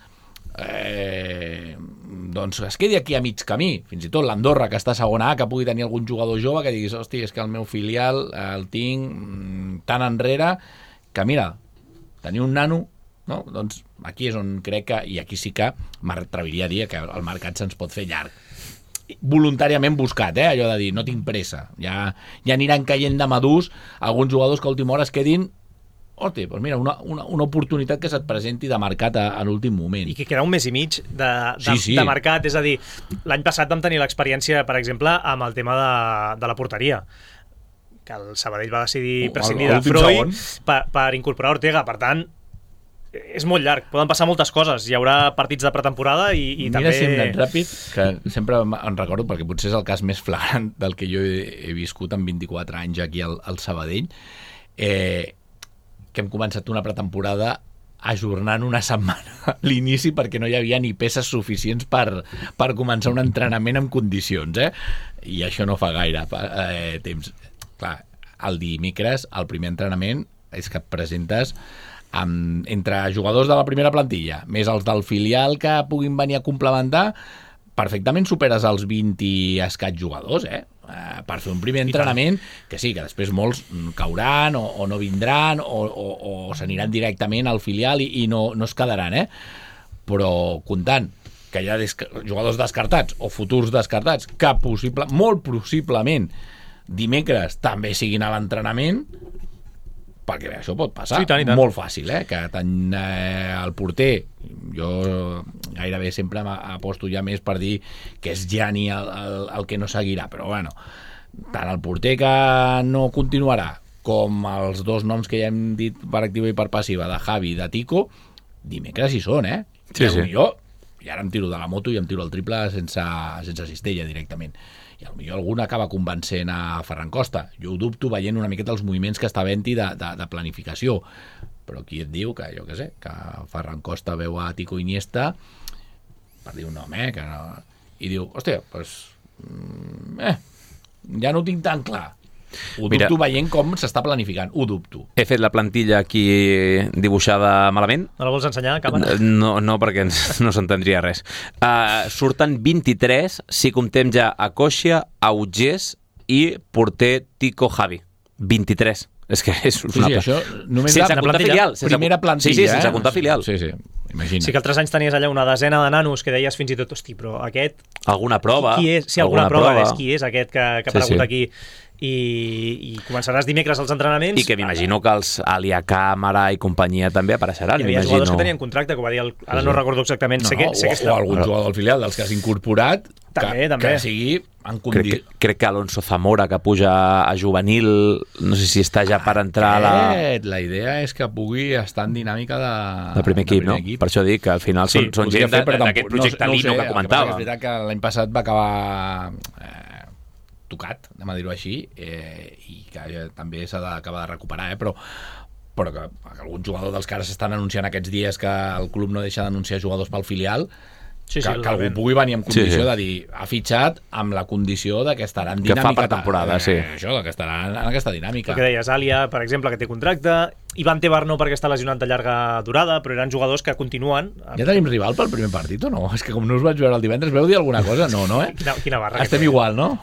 eh, doncs es quedi aquí a mig camí, fins i tot l'Andorra, que està a segona A, que pugui tenir algun jugador jove que diguis, hosti, és que el meu filial el tinc tan enrere que mira, tenir un nano, no? Doncs aquí és on crec que, i aquí sí que m'atreviria a dir que el mercat se'ns pot fer llarg, voluntàriament buscat, eh? Allò de dir, no tinc pressa, ja, ja aniran caient de madurs alguns jugadors que a última hora es quedin, hosti, doncs mira, una, una, una oportunitat que se't presenti de mercat a, a l'últim moment. I que queda un mes i mig de, de, sí, sí. de mercat, és a dir, l'any passat vam tenir l'experiència, per exemple, amb el tema de, de la porteria. que el Sabadell va decidir O- prescindir a de l'últim Freud segon. per, per incorporar Ortega. Per tant, és molt llarg, poden passar moltes coses. Hi haurà partits de pretemporada i, i Mira també... si hem anat ràpid, que sempre em recordo, perquè potser és el cas més flagrant del que jo he, he viscut en vint-i-quatre anys aquí al, al Sabadell, eh, que hem començat una pretemporada ajornant una setmana a l'inici perquè no hi havia ni peces suficients per, per començar un entrenament en condicions, eh? I això no fa gaire eh, temps. Clar, el dimecres, el primer entrenament és que et presentes amb, entre jugadors de la primera plantilla més els del filial que puguin venir a complementar, perfectament superes els vint i escaig jugadors, eh? Uh, per fer un primer entrenament, que sí, que després molts cauran o, o no vindran o, o, o s'aniran directament al filial i, i no, no es quedaran, eh? Però comptant que hi ha des jugadors descartats o futurs descartats que possible, molt possiblement dimecres també siguin a l'entrenament, perquè bé, això pot passar, sí, tant, tant. molt fàcil, eh? Que tant eh, el porter, jo gairebé sempre aposto ja més per dir que és Gianni el, el, el que no seguirà, però bueno, tant el porter que no continuarà com els dos noms que ja hem dit per activa i per passiva, de Javi i de Tico, dimecres hi són, eh? Sí, I sí. jo, i ara em tiro de la moto i em tiro el triple sense, sense cistella directament. I potser algun acaba convencent a Ferran Costa. Jo ho dubto veient una miqueta els moviments que està havent-hi de, de, de planificació. Però qui et diu que, jo què sé, que Ferran Costa veu a Tico Iniesta, per dir un nom, eh, que no... i diu, hòstia, doncs... Eh, ja no ho tinc tan clar. Ho Mira, dubto veient com s'està planificant, ho dubto. He fet la plantilla aquí dibuixada malament. No la vols ensenyar a càmera? No, no perquè ens, no s'entendria res. Uh, surten vint-i-tres si comptem ja a Coixia, a Ugés i porter Tico Javi. vint-i-tres. És que és Sí, una... sí, això només sense la comptar plantilla. filial. Sense... Primera plantilla, Sí, sí, sense eh? comptar filial. Sí, sí, imagina. Sí que altres anys tenies allà una desena de nanos que deies fins i tot, hosti, però aquest... Alguna prova. Qui és? Sí, alguna, alguna prova, és qui és aquest que, que ha Sí, aparegut sí. aquí. I, i començaràs dimecres als entrenaments. I que m'imagino que els Alia Càmera i companyia també apareixeran. Hi havia m'imagino. jugadors que tenien contracte, que ho va dir el... ara Sí, no sí. recordo exactament. No, sé que, no, sé o, que està... o algun jugador del filial dels que has incorporat També, que, també. que sigui en Crec condi... que, crec que Alonso Zamora, que puja a juvenil, no sé si està ja per entrar a la... Aquest, la idea és que pugui estar en dinàmica de, de primer equip, no? Per això dic que al final són, són podria gent fer, però d'aquest tampoc- projecte no, no ho Lino sé, que el comentava. passa és veritat que l'any passat va acabar eh, tocat, anem a dir-ho així, eh, i que ja també s'ha d'acabar de recuperar, eh, però però que algun jugador dels que ara s'estan anunciant aquests dies que el club no deixa d'anunciar jugadors pel filial, Sí, sí, que, que algú realment. pugui venir en condició Sí, sí. de dir, ha fitxat amb la condició de que estarà en Que fa dinàmica. pretemporada, eh, sí. Això, que estarà en aquesta dinàmica. El que deies, Àlia, per exemple, que té contracte, Ivan Tebar no perquè està lesionat de llarga durada, però eren jugadors que continuen. Ja tenim rival pel primer partit o no? És que com no us vaig veure el divendres, veu dir alguna cosa? No, no, eh? Quina, quina barra. Estem que té. igual, no?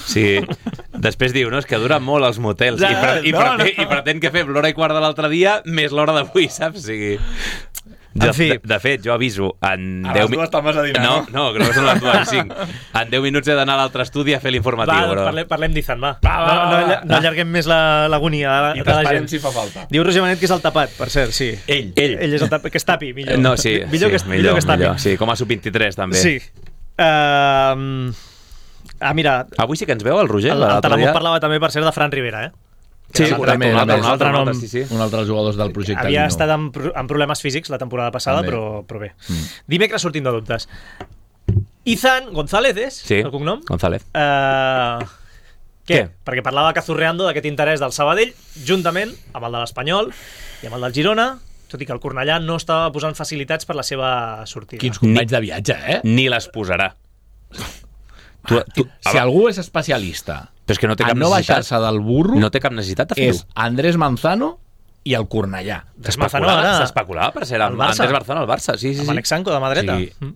Sí, després diu, no, és que duren molt els motels Ja, i, pre i, no, pretén, no. i pretén que fem l'hora i quart de l'altre dia més l'hora d'avui, saps? O sigui... De, En fi. de, de fet, jo aviso en A deu les dues te'n vas a dinar, no? no? No, que no són les dues i cinc. En deu minuts he d'anar a l'altre estudi a fer l'informatiu. Va, Però... parlem, parlem d'Izan, va. Va, va, no, no, va, alla- va. no allarguem més la- l'agonia de, I de la t'esperem gent. si fa falta. Diu Roger Manet que és el tapat, per cert, sí. Ell. Ell. Ell és el tapat, que es tapi, millor. No, sí, millor, sí, que, es- millor, millor que es tapi. millor. Sí, com a sub vint-i-tres, també. Sí. Uh, ah, mira, Avui sí que ens veu el Roger? el, el l'altre Talamón dia? parlava també, per cert, de Fran Rivera, eh? Sí, Que correcte, també, un altre, també. un altre, un altre, nom. sí, sí. Un altre dels jugadors del projecte Havia Lino. estat amb, pro- amb problemes físics la temporada passada, També. però, però bé. Mm. Dimecres sortint de dubtes. Izan González és Sí, el cognom? González. Uh, què? Què? Perquè parlava Cazurreando d'aquest interès del Sabadell, juntament amb el de l'Espanyol i amb el del Girona, tot i que el Cornellà no estava posant facilitats per la seva sortida. Quins companys de viatge, eh? Ni les posarà. Tu, tu, Si algú és especialista Però és que no té a cap no necessitat. baixar-se del burro, No té cap necessitat de fer-ho. és Andrés Manzano i el Cornellà. Manzano ara- S'especulava per ser amb al Barça. Andrés Barzano al Barça. Sí, sí, Amb sí. Alexanco de mà dreta. Sí. Mm.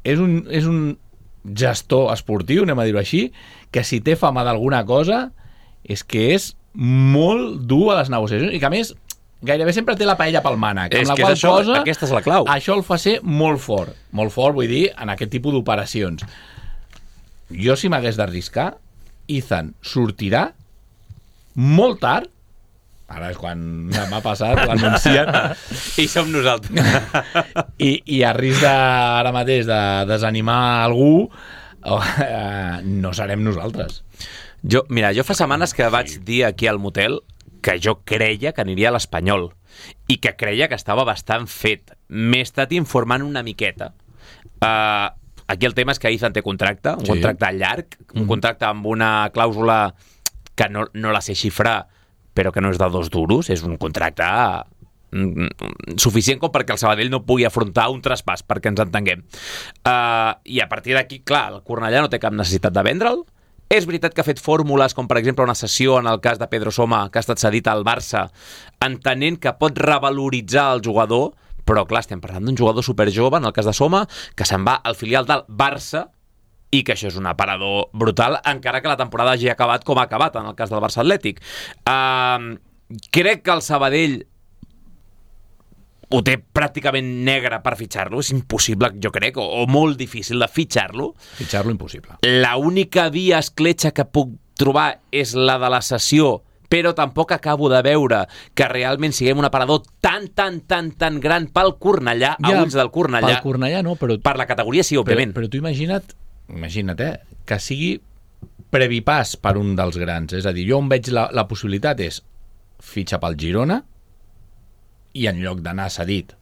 És un, és un gestor esportiu, anem a dir-ho així, que si té fama d'alguna cosa és que és molt dur a les negociacions i que a més gairebé sempre té la paella pel mànec, És amb la que qual és això, cosa aquesta és la clau. això el fa ser molt fort, molt fort vull dir, en aquest tipus d'operacions. Jo si m'hagués d'arriscar, Izan sortirà molt tard, ara és quan m'ha passat, l'anuncien, I som nosaltres. i, i a risc de, ara mateix de desanimar algú, oh, eh, no serem nosaltres. Jo, mira, jo fa setmanes que vaig dir aquí al motel que jo creia que aniria a l'Espanyol i que creia que estava bastant fet. M'he estat informant una miqueta. Uh, aquí el tema és que Izan té contracte, un sí. contracte llarg, un contracte amb una clàusula que no, no la sé xifrar, però que no és de dos duros, és un contracte suficient com perquè el Sabadell no pugui afrontar un traspàs, perquè ens entenguem. Uh, I a partir d'aquí, clar, el Cornellà no té cap necessitat de vendre'l. És veritat que ha fet fórmules, com per exemple una sessió en el cas de Pedro Soma, que ha estat cedit al Barça, entenent que pot revaloritzar el jugador, però clar, estem parlant d'un jugador superjove, en el cas de Soma, que se'n va al filial del Barça, i que això és un aparador brutal, encara que la temporada hagi acabat com ha acabat, en el cas del Barça Atlètic. Uh, crec que el Sabadell ho té pràcticament negre per fitxar-lo, és impossible, jo crec, o, o molt difícil de fitxar-lo. Fitxar-lo impossible. La única via escletxa que puc trobar és la de la cessió, però tampoc acabo de veure que realment siguem un aparador tan, tan, tan, tan gran pel Cornellà, ja, a ulls del Cornellà. Pel Cornellà no, però... Per la categoria sí, òbviament. Però, però tu imagina't, imagina't, eh, que sigui previpàs per un dels grans. És a dir, jo on veig la, la possibilitat és fitxar pel Girona, i en lloc d'anar cedit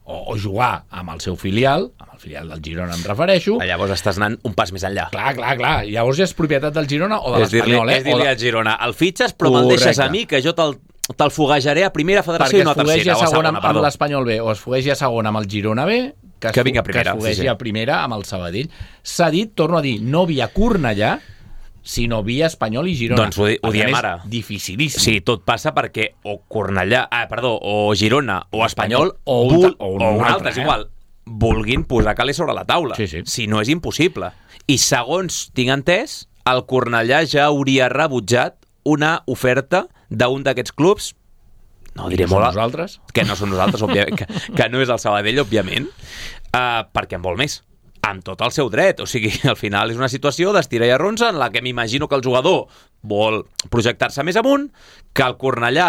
o, o jugar amb el seu filial, amb el filial del Girona em refereixo... Llavors estàs anant un pas més enllà. Clar, clar, clar. Llavors ja és propietat del Girona o de l'Espanyol, eh? És dir-li al Girona, el fitxes però me'l deixes a mi, que jo te'l te'l foguejaré a primera federació i no a tercera. Perquè es foguegi a segona amb l'Espanyol B o es foguegi a segona amb el Girona B, que es, que vinga a primera, que es foguegi sí, sí. a primera amb el Sabadell. Cedit, torno a dir, no via Cornellà, sinó via Espanyol i Girona. Doncs ho, ho diem ara. Dificilíssim. Sí, tot passa perquè o Cornellà, ah, perdó, o Girona o Espanyol o un, bul, o un, o un altre, altre, és eh? igual, vulguin posar calés sobre la taula. Sí, sí. Si no és impossible. I segons tinc entès, el Cornellà ja hauria rebutjat una oferta d'un d'aquests clubs, no diré no molt... nosaltres? Que no són nosaltres, òbviament, que, que no és el Sabadell, òbviament, uh, perquè en vol més. Amb tot el seu dret, o sigui, al final és una situació d'estira i arronsa en la que m'imagino que el jugador vol projectar-se més amunt, que el Cornellà,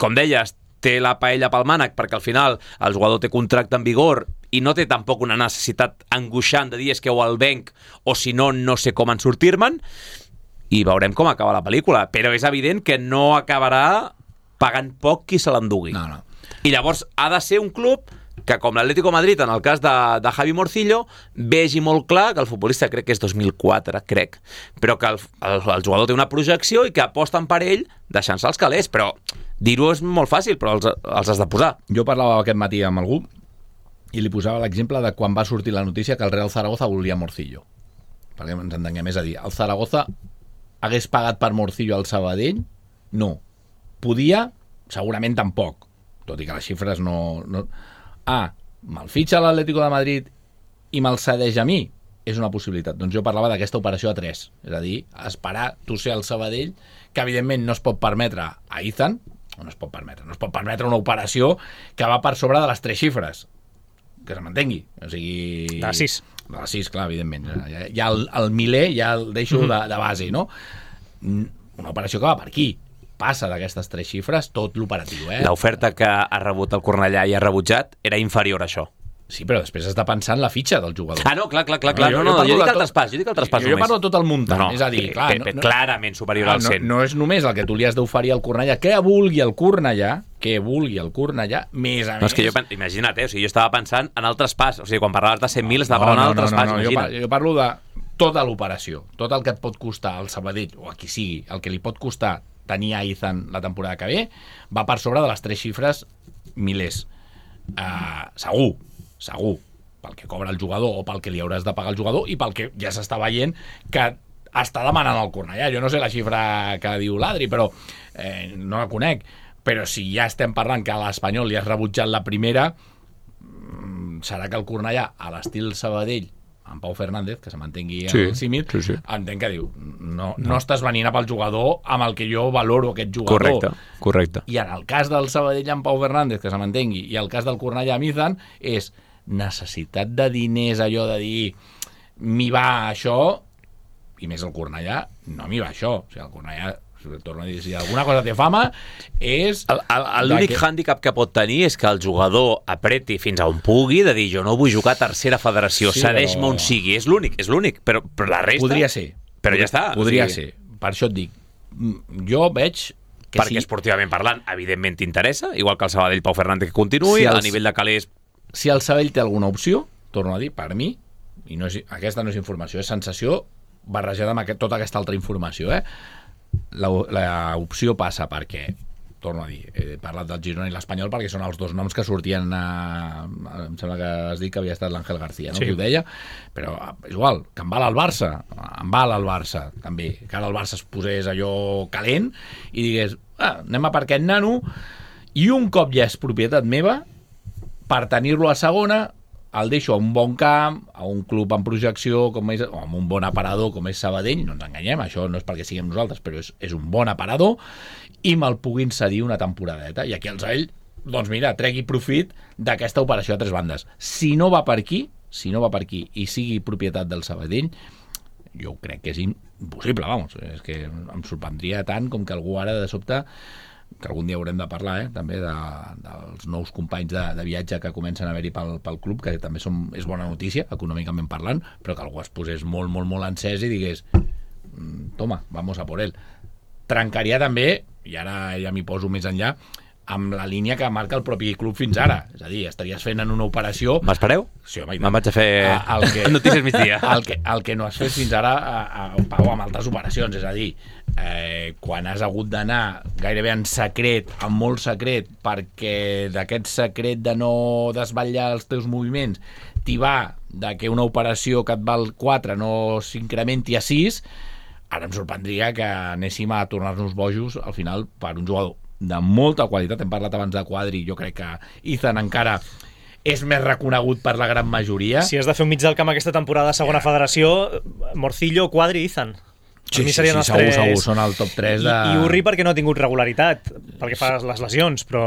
com deies, té la paella pel mànec perquè al final el jugador té contracte en vigor i no té tampoc una necessitat angoixant de dir és que o el venc o si no, no sé com en sortir-me'n, i veurem com acaba la pel·lícula, però és evident que no acabarà pagant poc qui se l'endugui. No, no. I llavors ha de ser un club que com l'Atlético de Madrid, en el cas de, de Javi Morcillo, vegi molt clar que el futbolista, crec que és dos mil quatre, crec, però que el, el, el jugador té una projecció i que aposten per ell deixant-se els calés, però dir-ho és molt fàcil, però els, els has de posar. Jo parlava aquest matí amb algú i li posava l'exemple de quan va sortir la notícia que el Real Zaragoza volia Morcillo. Perquè ens entenguem, és a dir, el Zaragoza hagués pagat per Morcillo al Sabadell? No. Podia? Segurament tampoc, tot i que les xifres no... no... Ah, me'l fitxa l'Atlético de Madrid i me'l cedeix a mi? És una possibilitat. Doncs jo parlava d'aquesta operació a tres. És a dir, esperar tu ser el Sabadell, que evidentment no es pot permetre a Izan, o no es pot permetre, no es pot permetre una operació que va per sobre de les tres xifres. Que se mantengui. O sigui... De sis. De les sis, clar, evidentment. Ja, ja el, el miler ja el deixo mm. de, de base, no? Una operació que va per aquí. Passa d'aquestes tres xifres tot l'operatiu, eh? L'oferta que ha rebut el Cornellà i ha rebutjat era inferior a això. Sí, però després has de pensar en la fitxa del jugador. Ah, no, clar, clar, clar. clar. No, no, no, jo, jo dic el traspàs, jo dic el traspàs jo, només. Jo parlo tot el muntant, no, no, és a dir, clar... Que, no, clarament superior no, al cent. No, no és només el que tu li has d'oferir al Cornellà, que vulgui el Cornellà, que vulgui el Cornellà, més a no, més... És que jo, imagina't, eh, o sigui, jo estava pensant en el traspàs, o sigui, quan parlaves de cent mil estava parlant no, no, del traspàs, no, no, no, imagina't. Jo, jo parlo de tota l'operació, tot el que et pot costar al Sabadell, o a qui sigui, el que li pot costar tenir a Izan la temporada que ve, va per sobre de les tres xifres milers. Uh, segur, segur, pel que cobra el jugador o pel que li hauràs de pagar al jugador i pel que ja s'està veient que està demanant el Cornellà. Jo no sé la xifra que diu l'Adri, però eh, no la conec. Però si ja estem parlant que a l'Espanyol li has rebutjat la primera, serà que el Cornellà, a l'estil Sabadell, en Pau Fernández, que se mantengui sí, el símil, sí, sí. entenc que diu no, no. no estàs venint a pel jugador amb el que jo valoro aquest jugador. Correcte, correcte. I en el cas del Sabadell amb Pau Fernández, que se mantengui, i el cas del Cornellà amb Izan, és necessitat de diners, allò de dir m'hi va això, i més el Cornellà, no m'hi va això. O sigui, el Cornellà, torno a dir, si alguna cosa té fama, és... L'únic que... hàndicap que pot tenir és que el jugador apreti fins a on pugui, de dir, jo no vull jugar a tercera federació, sí, cedeix-me però... on sigui. És l'únic, és l'únic, però, però la resta... Podria ser. Però ja està. Podria o sigui... ser. per això et dic, jo veig que perquè si, esportivament parlant, evidentment t'interessa, igual que el Sabadell Pau Fernández que continuï, Si els- a nivell de calés... si el Sabadell té alguna opció, torno a dir, per mi, i no és, aquesta no és informació, és sensació barrejada amb aquest, tota aquesta altra informació, eh? L'opció passa perquè, torno a dir, he parlat del Girona i l'Espanyol perquè són els dos noms que sortien a, a, em sembla que has dit que havia estat l'Àngel García, no? Sí. Qui ho deia, però és igual, que em val al Barça, em val al Barça també, que ara el Barça es posés allò calent i digués, ah, anem a per aquest nano, i un cop ja és propietat meva, per tenir-lo a segona el deixo a un bon camp, a un club en projecció, com és, o amb un bon aparador com és Sabadell, no ens enganyem, això no és perquè siguem nosaltres, però és, és un bon aparador, i me'l puguin cedir una temporadeta. I aquí el Sabadell, doncs mira, tregui profit d'aquesta operació a tres bandes. Si no va per aquí, si no va per aquí i sigui propietat del Sabadell, jo crec que és impossible, vamos. És que em sorprendria tant com que algú ara de sobte, que algun dia haurem de parlar, eh, també de, dels nous companys de, de viatge que comencen a haver-hi pel, pel club, que també som, és bona notícia, econòmicament parlant, però que algú es posés molt, molt, molt encès i digués, toma, vamos a por él. Trencaria també, i ara ja m'hi poso més enllà, amb la línia que marca el propi club fins ara. És a dir, estaries fent en una operació... M'espereu? Sí, home, Me'n vaig a fer a- el que- notícies migdia. El que, el que no has fet fins ara a, a, Pau, amb altres operacions, és a dir, eh, quan has hagut d'anar gairebé en secret, en molt secret, perquè d'aquest secret de no desvetllar els teus moviments t'hi va de que una operació que et val quatre no s'incrementi a sis, ara em sorprendria que anéssim a tornar-nos bojos al final per un jugador de molta qualitat. Hem parlat abans de Quadri, jo crec que Izan encara és més reconegut per la gran majoria. Si has de fer un mig del camp aquesta temporada a segona Ja. federació, Morcillo, Quadri i Izan. Per Sí, mi sí, serien sí, els segur, tres. segur, són el top tres de... I, I Urri perquè no ha tingut regularitat, pel que fa a les lesions, però...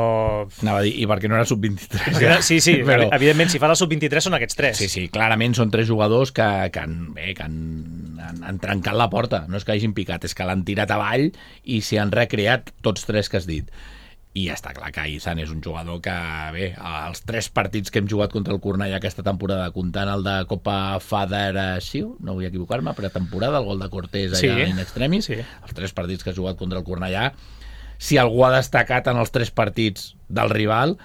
Anava a dir, i perquè no era sub vint-i-tres. Perquè, sí, sí, Però- evidentment, si fa la sub vint-i-tres són aquests tres. Sí, sí, clarament són tres jugadors que, que, han, bé, que han, han, han trencat la porta. No és que hagin picat, és que l'han tirat avall i s'hi han recreat tots tres que has dit. I està clar que Izan és un jugador que, bé, els tres partits que hem jugat contra el Cornellà aquesta temporada, comptant el de Copa Federació, no vull equivocar-me, pretemporada, el gol de Cortés allà Sí, in extremis, sí. els tres partits que has jugat contra el Cornellà, si algú ha destacat en els tres partits del rival,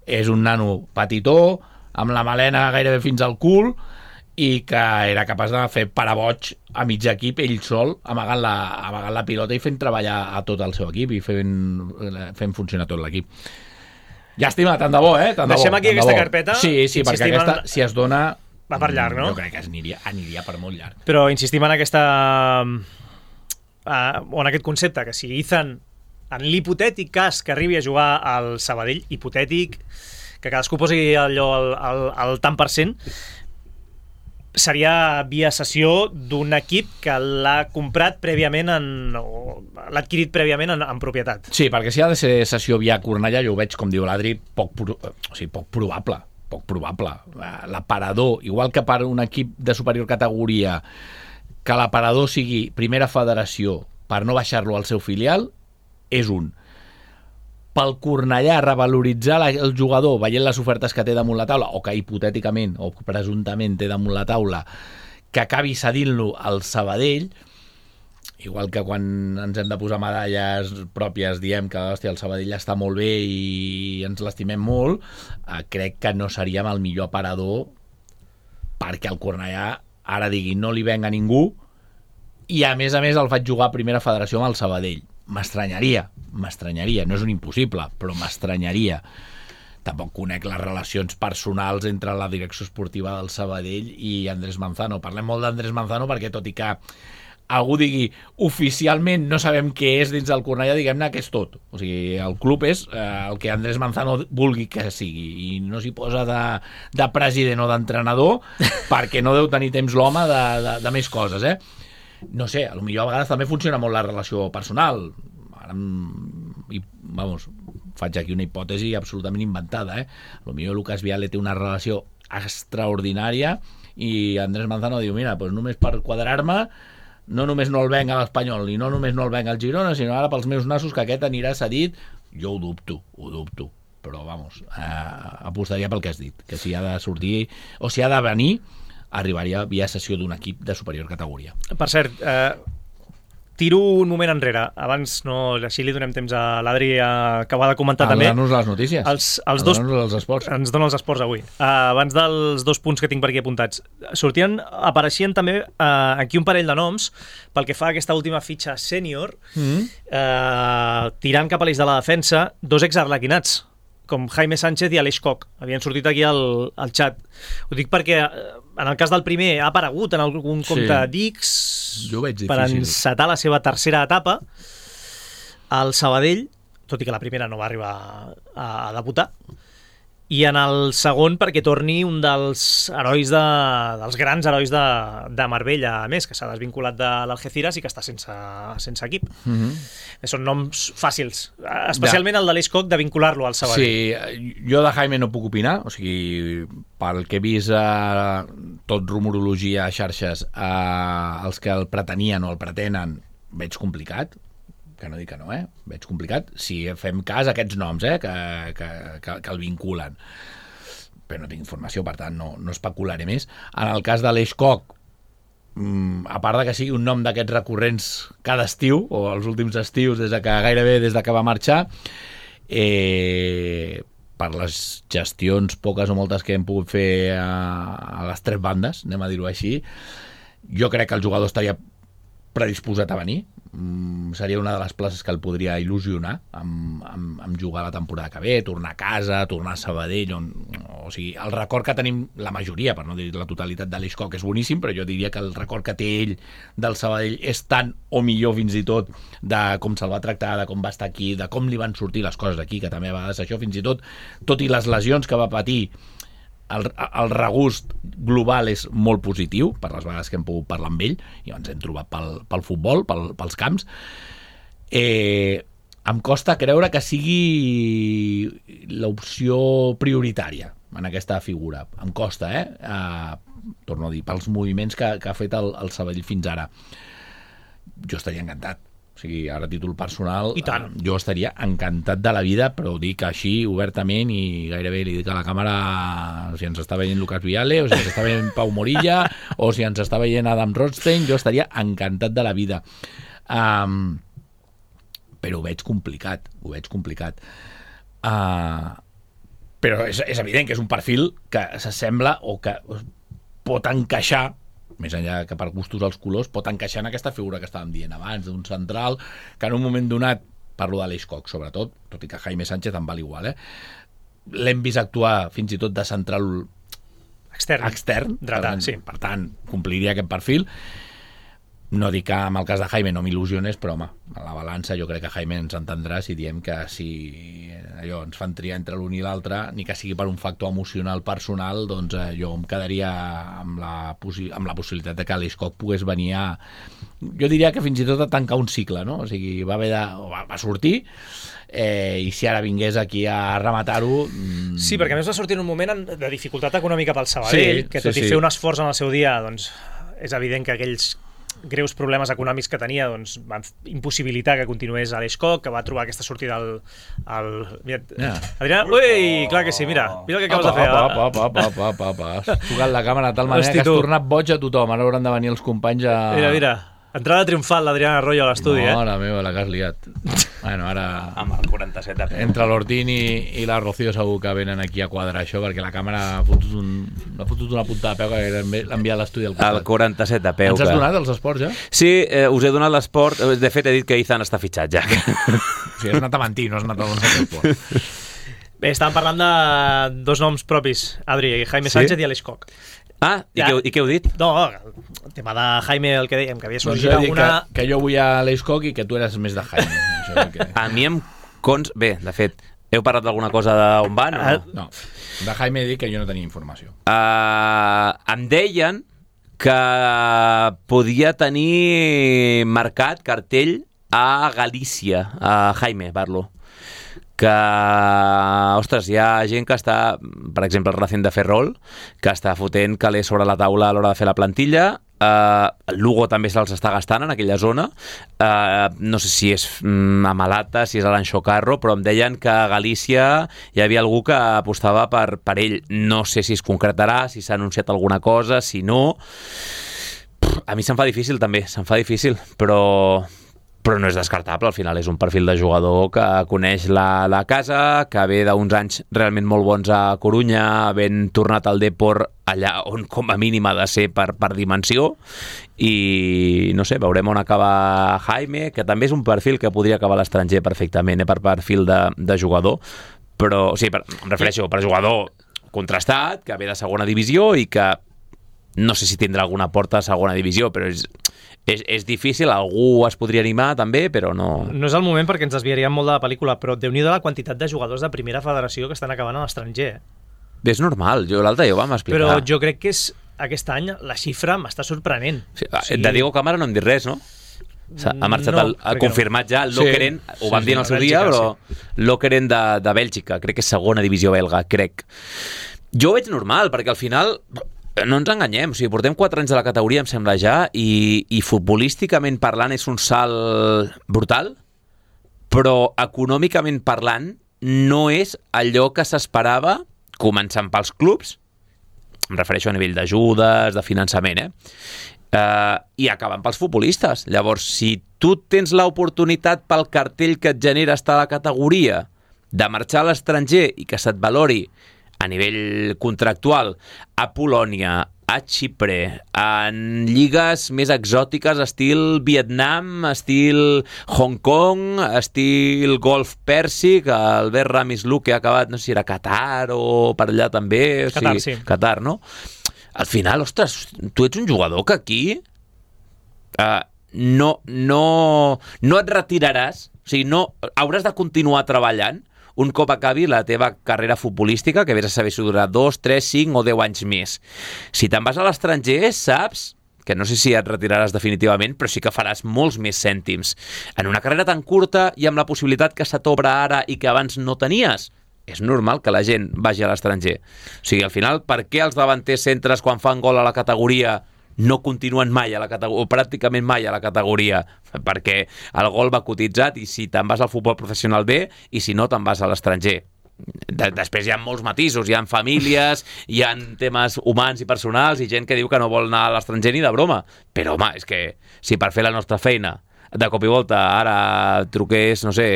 és un nano petitó, amb la melena gairebé fins al cul, i que era capaç de fer paraboig a mig equip ell sol, amagant la, amagant la pilota i fent treballar a tot el seu equip i fent, fent funcionar tot l'equip. Llàstima, tant de bo, eh? Tant de Deixem bo, aquí tant de aquesta bo. carpeta. Sí, sí, perquè Insistim aquesta, en- si es dona... Va per llarg, no? Jo crec que es aniria, aniria per molt llarg. Però insistim en aquesta... Uh, o en aquest concepte, que si Izan, en l'hipotètic cas que arribi a jugar al Sabadell, hipotètic, que cadascú posi allò al, al, al tant per cent, seria via cessió d'un equip que l'ha comprat prèviament en, o l'ha adquirit prèviament en, en propietat. Sí, perquè si ha de ser sessió via Cornellà, jo ho veig, com diu l'Adri, poc, pro, o sigui, poc probable. Poc probable. L'aparador, igual que per un equip de superior categoria, que l'aparador sigui primera federació per no baixar-lo al seu filial, és un. Pel Cornellà revaloritzar la, el jugador veient les ofertes que té damunt la taula, o que hipotèticament o presumptament té damunt la taula, que acabi cedint-lo al Sabadell, igual que quan ens hem de posar medalles pròpies diem que hòstia, el Sabadell està molt bé i ens l'estimem molt, eh, crec que no seríem el millor aparador perquè el Cornellà ara digui no li venga ningú i a més a més el faig jugar a primera federació amb el Sabadell. M'estranyaria, m'estranyaria, no és un impossible, però m'estranyaria. Tampoc conec les relacions personals entre la direcció esportiva del Sabadell i Andrés Manzano. Parlem molt d'Andrés Manzano perquè tot i que algú digui oficialment no sabem què és dins del Cornellà, diguem-ne que és tot. O sigui, el club és eh, el que Andrés Manzano vulgui que sigui i no s'hi posa de, de president o d'entrenador perquè no deu tenir temps l'home de, de, de més coses, eh? No sé, a lo millor a vegades també funciona molt la relació personal. Ara, i, vamos, faig aquí una hipòtesi absolutament inventada, eh? A lo millor Lucas Viale té una relació extraordinària i Andrés Manzano diu, mira, pues només per quadrar-me no només no el venc a l'Espanyol i no només no el venc al Girona, sinó ara pels meus nassos que aquest anirà cedit. Jo ho dubto, ho dubto, però vamos, eh, apostaria pel que has dit, que si ha de sortir o si ha de venir arribaria via cessió d'un equip de superior categoria. Per cert, eh, tiro un moment enrere. Abans, no, així li donem temps a l'Adri que ho ha de comentar també. A donar-nos les notícies. Els, els a dos, donar-nos els esports. Ens donen els esports avui. Uh, abans dels dos punts que tinc per aquí apuntats. Sortien, apareixien també uh, aquí un parell de noms pel que fa a aquesta última fitxa sènior, mm-hmm. uh, tirant cap a l'eix de la defensa, dos exarlequinats, com Jaime Sánchez i Aleix Koch. Havien sortit aquí al, al xat. Ho dic perquè en el cas del primer ha aparegut en algun compte sí. d'X per encetar la seva tercera etapa al Sabadell, tot i que la primera no va arribar a, a debutar, i en el segon perquè torni un dels herois de, dels grans herois de, de Marbella, a més, que s'ha desvinculat de l'Algeciras i que està sense, sense equip. Mm-hmm. Són noms fàcils, especialment ja. El de l'Eix Koch, de vincular-lo al Sabadell. Sí, jo de Jaime no puc opinar, o sigui, pel que he vist eh, tot rumorologia a xarxes, eh, els que el pretenien o el pretenen, veig complicat, que no dic que no, eh? Veig complicat, si fem cas a aquests noms, eh? que, que, que, que el vinculen. Però no tinc informació, per tant, no, no especularé més. En el cas de l'Eix Koch, a part de que sigui un nom d'aquests recurrents cada estiu, o els últims estius, des de que gairebé des de que va marxar, eh, per les gestions, poques o moltes que hem pogut fer a, a les tres bandes, anem a dir-ho així, jo crec que el jugador estaria predisposat a venir. Mm, seria una de les places que el podria il·lusionar amb, amb, amb jugar la temporada que ve, tornar a casa, tornar a Sabadell, on, o sigui, el record que tenim la majoria, per no dir la totalitat de l'Eix Koch és boníssim, però jo diria que el record que té ell del Sabadell és tant o millor fins i tot de com se'l va tractar, de com va estar aquí, de com li van sortir les coses aquí, que també a vegades això, fins i tot, tot i les lesions que va patir, el, el regust global és molt positiu per les vegades que hem pogut parlar amb ell i ens hem trobat pel, pel futbol, pel, pels camps. eh, em costa creure que sigui l'opció prioritària en aquesta figura, em costa eh? Eh, torno a dir, pels moviments que, que ha fet el, el Sabadell fins ara. Jo estaria encantat. O sigui, ara a títol personal, eh, jo estaria encantat de la vida, però ho dic així obertament i gairebé li dic a la càmera si ens està veient Lucas Viale, o si ens està veient Pau Morilla, o si ens està veient Adam Rothstein, jo estaria encantat de la vida. Um, però ho veig complicat, ho veig complicat. Uh, però és, és evident que és un perfil que s'assembla o que pot encaixar, més enllà que per gustos els colors, pot encaixar en aquesta figura que estàvem dient abans, d'un central que en un moment donat, parlo de l'Eix Koch sobretot, tot i que Jaime Sánchez em val igual, eh? L'hem vist actuar fins i tot de central extern, extern dretà, per, tant, sí. per tant, compliria aquest perfil. No dic que en el cas de Jaime no m'il·lusiones, però home, a la balança jo crec que Jaime ens entendrà si diem que si allò ens fan triar entre l'un i l'altre, ni que sigui per un factor emocional personal, doncs eh, jo em quedaria amb la, amb la possibilitat de que l'Eix Koch pogués venir a, jo diria que fins i tot a tancar un cicle, no? O sigui, va haver de, va, va sortir, eh, i si ara vingués aquí a rematar-ho... Mmm... Sí, perquè a més va sortir en un moment de dificultat econòmica pel Sabadell, sí, que tot sí, i fer sí. un esforç en el seu dia, doncs és evident que aquells greus problemes econòmics que tenia doncs, van impossibilitar que continués a l'Eix Koch, que va trobar aquesta sortida al... al... Mira, yeah. Adriana, ui, clar que sí, mira, mira el que acabes apa, de fer. Apa, apa, apa, apa, apa, apa. Has tocat la càmera de tal manera Hosti, que has tu. tornat boig a tothom, ara hauran de venir els companys a... Mira, mira, entrada triomfal l'Adriana Arroyo a l'estudi, no, eh? Mare meva, la que has liat. Bueno, ara... Amb el quaranta-set de peu. Entre l'Ortín i, i la Rocío segur que venen aquí a quadrar això, perquè la càmera ha fotut, un, ha fotut una punta de peu que l'ha enviat a l'estudi al costat. El quaranta-set de peu. Ens has que... donat els esports, ja? Sí, eh, us he donat l'esport. De fet, he dit que Izan està fitxat, ja. O sigui, has anat a mentir, no has anat a donar l'esport. Bé, estàvem parlant de dos noms propis, Adri, Jaime sí? Sánchez i Aleix Koch. Ah, i, ja. què, i què heu dit? No, el tema de Jaime, el que dèiem, que havia sorgit no, alguna... Que, que jo vull a l'Eix Koch i que tu eres més de Jaime. Això que... A mi em cons... Bé, de fet, heu parlat d'alguna cosa d'on van? O no? No, de Jaime he dit que jo no tenia informació. Uh, em deien que podia tenir marcat cartell a Galícia, a Jaime, parlo. Que, ostres, hi ha gent que està, per exemple, el Racing de Ferrol, que està fotent calés sobre la taula a l'hora de fer la plantilla. Uh, el Lugo també se'ls està gastant en aquella zona. Uh, no sé si és mm, a Malata, si és a l'Anxo Carro, però em deien que a Galícia hi havia algú que apostava per, per ell. No sé si es concretarà, si s'ha anunciat alguna cosa, si no... A mi se'm fa difícil també, se'm fa difícil, però, però no és descartable, al final és un perfil de jugador que coneix la, la casa, que ve d'uns anys realment molt bons a Corunya, havent tornat al Depor allà on com a mínim ha de ser per, per dimensió, i no sé, veurem on acaba Jaime, que també és un perfil que podria acabar a l'estranger perfectament, eh, per perfil de, de jugador, però, o sigui, per, em refereixo, per jugador contrastat, que ve de segona divisió i que no sé si tindrà alguna porta a segona divisió, però és, és, és difícil, algú es podria animar també, però no... No és el moment perquè ens desviaríem molt de la pel·lícula, però Déu-n'hi-do la quantitat de jugadors de primera federació que estan acabant a l'estranger. És normal, jo l'altre dia ho vam explicar. Però jo crec que és, aquest any la xifra m'està sorprenent. Sí, o sigui... De Diego Cámara no hem dit res, no? Ha marxat, no, el, ha confirmat no. ja el Lokeren, sí, ho vam sí, dir en el seu dia, però sí. Lokeren de, de Bèlgica, crec que és segona divisió belga, crec. Jo ho veig normal, perquè al final... No ens enganyem, o sigui, portem quatre anys de la categoria, em sembla ja, i, i futbolísticament parlant és un salt brutal, però econòmicament parlant no és allò que s'esperava, començant pels clubs, em refereixo a nivell d'ajudes, de finançament, eh? Uh, i acabant pels futbolistes. Llavors, si tu tens l'oportunitat pel cartell que et genera estar a la categoria de marxar a l'estranger i que se't valori a nivell contractual a Polònia, a Xipre, en lligues més exòtiques estil Vietnam, estil Hong Kong, estil Golf Pèrsic, Albert Ramislu, que ha acabat, no sé si era Qatar o per allà també, o Qatar, sigui, sí. Qatar, no? Al final, ostres, tu ets un jugador que aquí uh, no, no, no et retiraràs, o sigui, no, hauràs de continuar treballant un cop acabi la teva carrera futbolística, que vés a saber si durarà dos, tres, cinc o deu anys més. Si te'n vas a l'estranger, saps que no sé si et retiraràs definitivament, però sí que faràs molts més cèntims. En una carrera tan curta i amb la possibilitat que se t'obre ara i que abans no tenies, és normal que la gent vagi a l'estranger. O sigui, al final, per què els davanters centres quan fan gol a la categoria no continuen mai a la categoria, o pràcticament mai a la categoria, perquè el gol va cotitzat i si te'n vas al futbol professional bé i si no te'n vas a l'estranger. De, després hi ha molts matisos, hi ha famílies, hi ha temes humans i personals i gent que diu que no vol anar a l'estranger ni de broma, però home, és que si per fer la nostra feina de cop i volta ara truqués, no sé,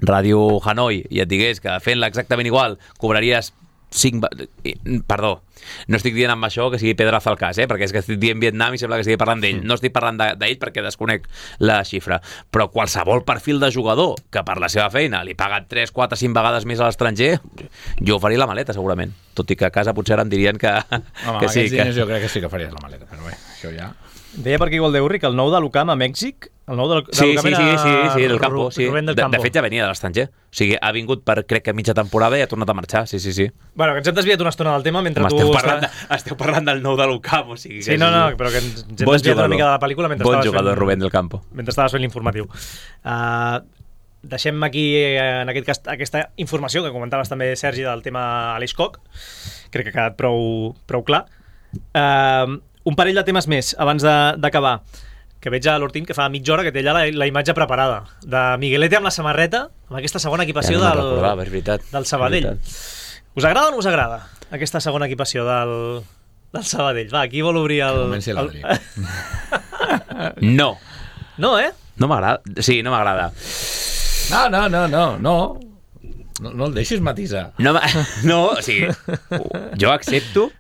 Ràdio Hanoi i et digués que fent-la exactament igual cobraries cinc... Perdó, no estic dient amb això que sigui pedraza al cas, eh? Perquè és que estic dient Vietnam i sembla que estigui parlant d'ell. No estic parlant d'ell perquè desconec la xifra. Però qualsevol perfil de jugador que per la seva feina li paguen tres, quatre, cinc vegades més a l'estranger, jo faria la maleta segurament. Tot i que a casa potser ara em dirien que, home, que sí. Que... Que... jo crec que sí que faries la maleta, però bé, això ja... Deia per aquí Goldeurri que el nou de l'Ucam a Mèxic, el nou de l'Ucam sí, sí, sí, sí, sí, del campo, sí. Rubén del de, Campo. de fet ja venia de l'estranger. O sigui, ha vingut per, crec que mitja temporada i ha tornat a marxar, sí, sí, sí. Bueno, que ens hem desviat una estona del tema mentre Home, tu... esteu, parlant de, esteu parlant del nou de l'Ucam, o sigui... Sí, no, no, però que ens, ens hem bon desviat jugador. Una mica de la pel·lícula mentre bon estaves jugador, fent... Rubén del Campo. Mentre estaves fent l'informatiu. Uh, deixem aquí, en aquest cas, aquesta informació que comentaves també, Sergi, del tema Aleix Koch. Crec que ha quedat prou, prou clar. Uh, un parell de temes més abans d'acabar, que veig a l'Ortín que fa mitja hora que té allà la, la imatge preparada de Miguelete amb la samarreta, amb aquesta segona equipació ja no del, recordava, és veritat, del Sabadell. Us agrada o no us agrada aquesta segona equipació del, del Sabadell? Va, qui vol obrir el... el... No. No, eh? No m'agrada. Sí, no m'agrada. No, no, no, no, no. No, no el deixis matisar. No, no, o sigui, jo accepto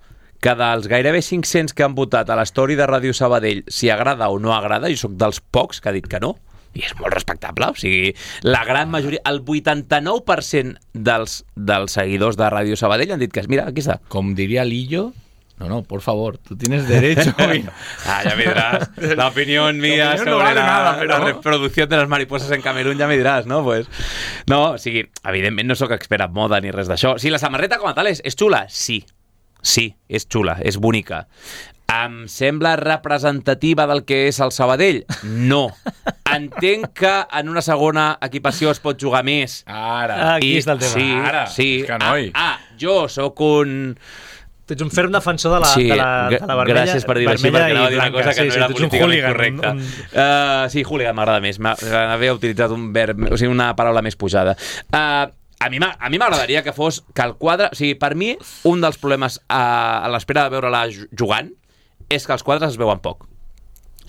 que dels gairebé cinc-cents que han votat a l'story de Ràdio Sabadell si agrada o no agrada, jo sóc dels pocs que ha dit que no, i és molt respectable, o sigui, la gran majoria, el vuitanta-nou per cent dels, dels seguidors de Ràdio Sabadell han dit que, mira, aquí està. Com diria Lillo, no, no, por favor, tú tienes derecho. Ah, ya me dirás, la opinión mía sobre no vale la, nada, pero... la reproducción de las mariposas en Camerún, ja me diràs, no? Pues, no, o sigui, evidentment no sóc expert en moda ni res d'això. Sí, la samarreta com a tal és, és xula? Sí. Sí, és xula, és bonica. Em sembla representativa del que és el Sabadell? No. Entenc que en una segona equipació es pot jugar més. Ara. Aquí està el tema. Sí, Ara. Sí. És que noi. Ah, ah, jo sóc un... Tu ets un ferm defensor de la, sí, de la, de la vermella. Gràcies per dir-ho així, perquè anava a dir una cosa que sí, no sí, era políticament correcta. Un, un... Uh, sí, hooligan m'agrada més. Havia utilitzat un verb, o sigui, una paraula més pujada. Uh, A mi, a mi m'agradaria que fos que el quadre... O sigui, per mi, un dels problemes a, a l'espera de veure-la jugant és que els quadres es veuen poc.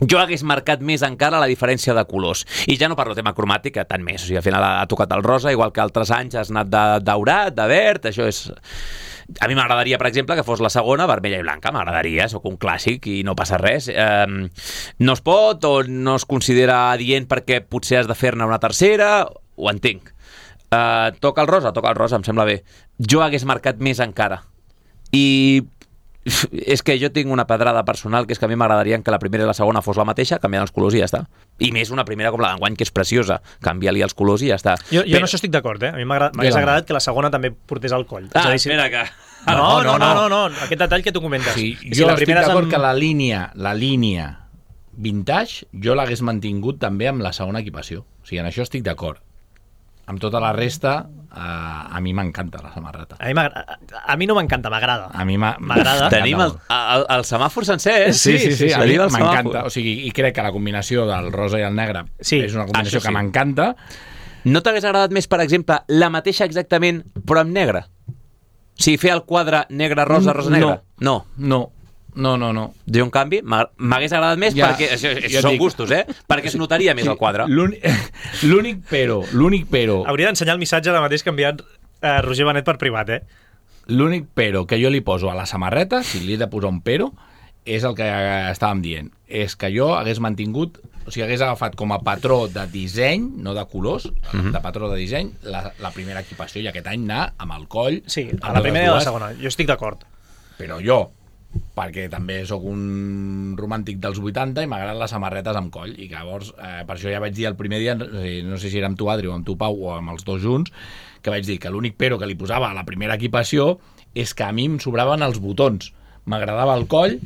jo hagués marcat més encara la diferència de colors. I ja no parlo tema cromàtic, tant més. O sigui, al final ha tocat el rosa, igual que altres anys has anat de daurat, de verd, això és... A mi m'agradaria, per exemple, que fos la segona vermella i blanca, m'agradaria, sóc un clàssic i no passa res. Eh, no es pot o no es considera adient perquè potser has de fer-ne una tercera, ho entenc. Eh, toca el rosa, toca el rosa, em sembla bé. Jo hagués marcat més encara. I... és que jo tinc una pedrada personal que és que a mi m'agradaria que la primera i la segona fos la mateixa, canviant els colors i ja està. I més una primera com la d'enguany, que és preciosa, canvia-li els colors i ja està. Jo, jo Però... en això estic d'acord, eh? A mi m'hagués agradat que la segona també portés al coll. Ah, dir, espera que... No, no, no, no, no, aquest detall que tu comentes. Sí, si jo la estic primera d'acord amb... que la línia, la línia vintage jo l'hagués mantingut també amb la segona equipació. O sigui, en això estic d'acord. Amb tota la resta, uh, a mi m'encanta la samarreta. A mi, a mi no m'encanta, m'agrada. A mi m'agrada. Tenim el, el, el semàfor sencer, eh? Sí, sí, sí, sí, a mi m'encanta. Semàfor. O sigui, i crec que la combinació del rosa i el negre sí, és una combinació sí. que m'encanta. No t'hagués agradat més, per exemple, la mateixa exactament, però amb negre? O sigui, fer el quadre negre-rosa, rosa-negre? No. No. No, no, no. Jo, en canvi, m'hagués agradat més ja, perquè... Això, això són dic, gustos, eh? Perquè es notaria més sí, el quadre. L'únic però, l'únic però... Hauria d'ensenyar el missatge ara mateix que ha enviat eh, Roger Benet per privat, eh? L'únic però que jo li poso a la samarreta, si li he de posar un però, és el que estàvem dient. És que jo hagués mantingut, o sigui, hagués agafat com a patró de disseny, no de colors, uh-huh. de patró de disseny, la, la primera equipació, i aquest any anar amb el coll... Sí, a la primera i a la segona. Jo estic d'acord. Però jo... perquè també sóc un romàntic dels vuitanta i m'agraden les samarretes amb coll i llavors, eh, per això ja vaig dir el primer dia, no sé si era amb tu Adri o amb tu Pau o amb els dos junts, que vaig dir que l'únic però que li posava a la primera equipació és que a mi em sobraven els botons. M'agradava el coll,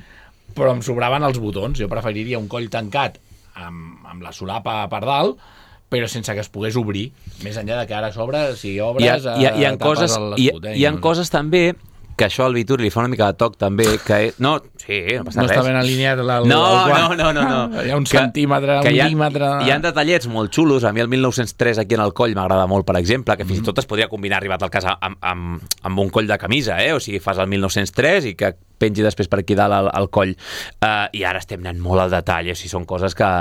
però em sobraven els botons. Jo preferiria un coll tancat amb, amb la solapa per dalt, però sense que es pogués obrir, més enllà de que ara sobre, si obres, hi ha, hi ha, hi ha coses, hi, hi ha coses també que això al Vituri li fa una mica de toc també, que... No, sí, no passa no res. No està ben alineat el, no, el no, no, no, no. Hi ha un que, centímetre, un mil·límetre... Hi ha, hi ha detallets molt xulos. A mi el mil nou-cents tres aquí en el coll m'agrada molt, per exemple, que fins i tot es podria combinar, arribat al cas, amb, amb, amb un coll de camisa, eh? O sigui, fas el mil nou-cents tres i que pengi després per aquí dalt al, al coll. Uh, I ara estem anant molt al detall, o sigui, són coses que...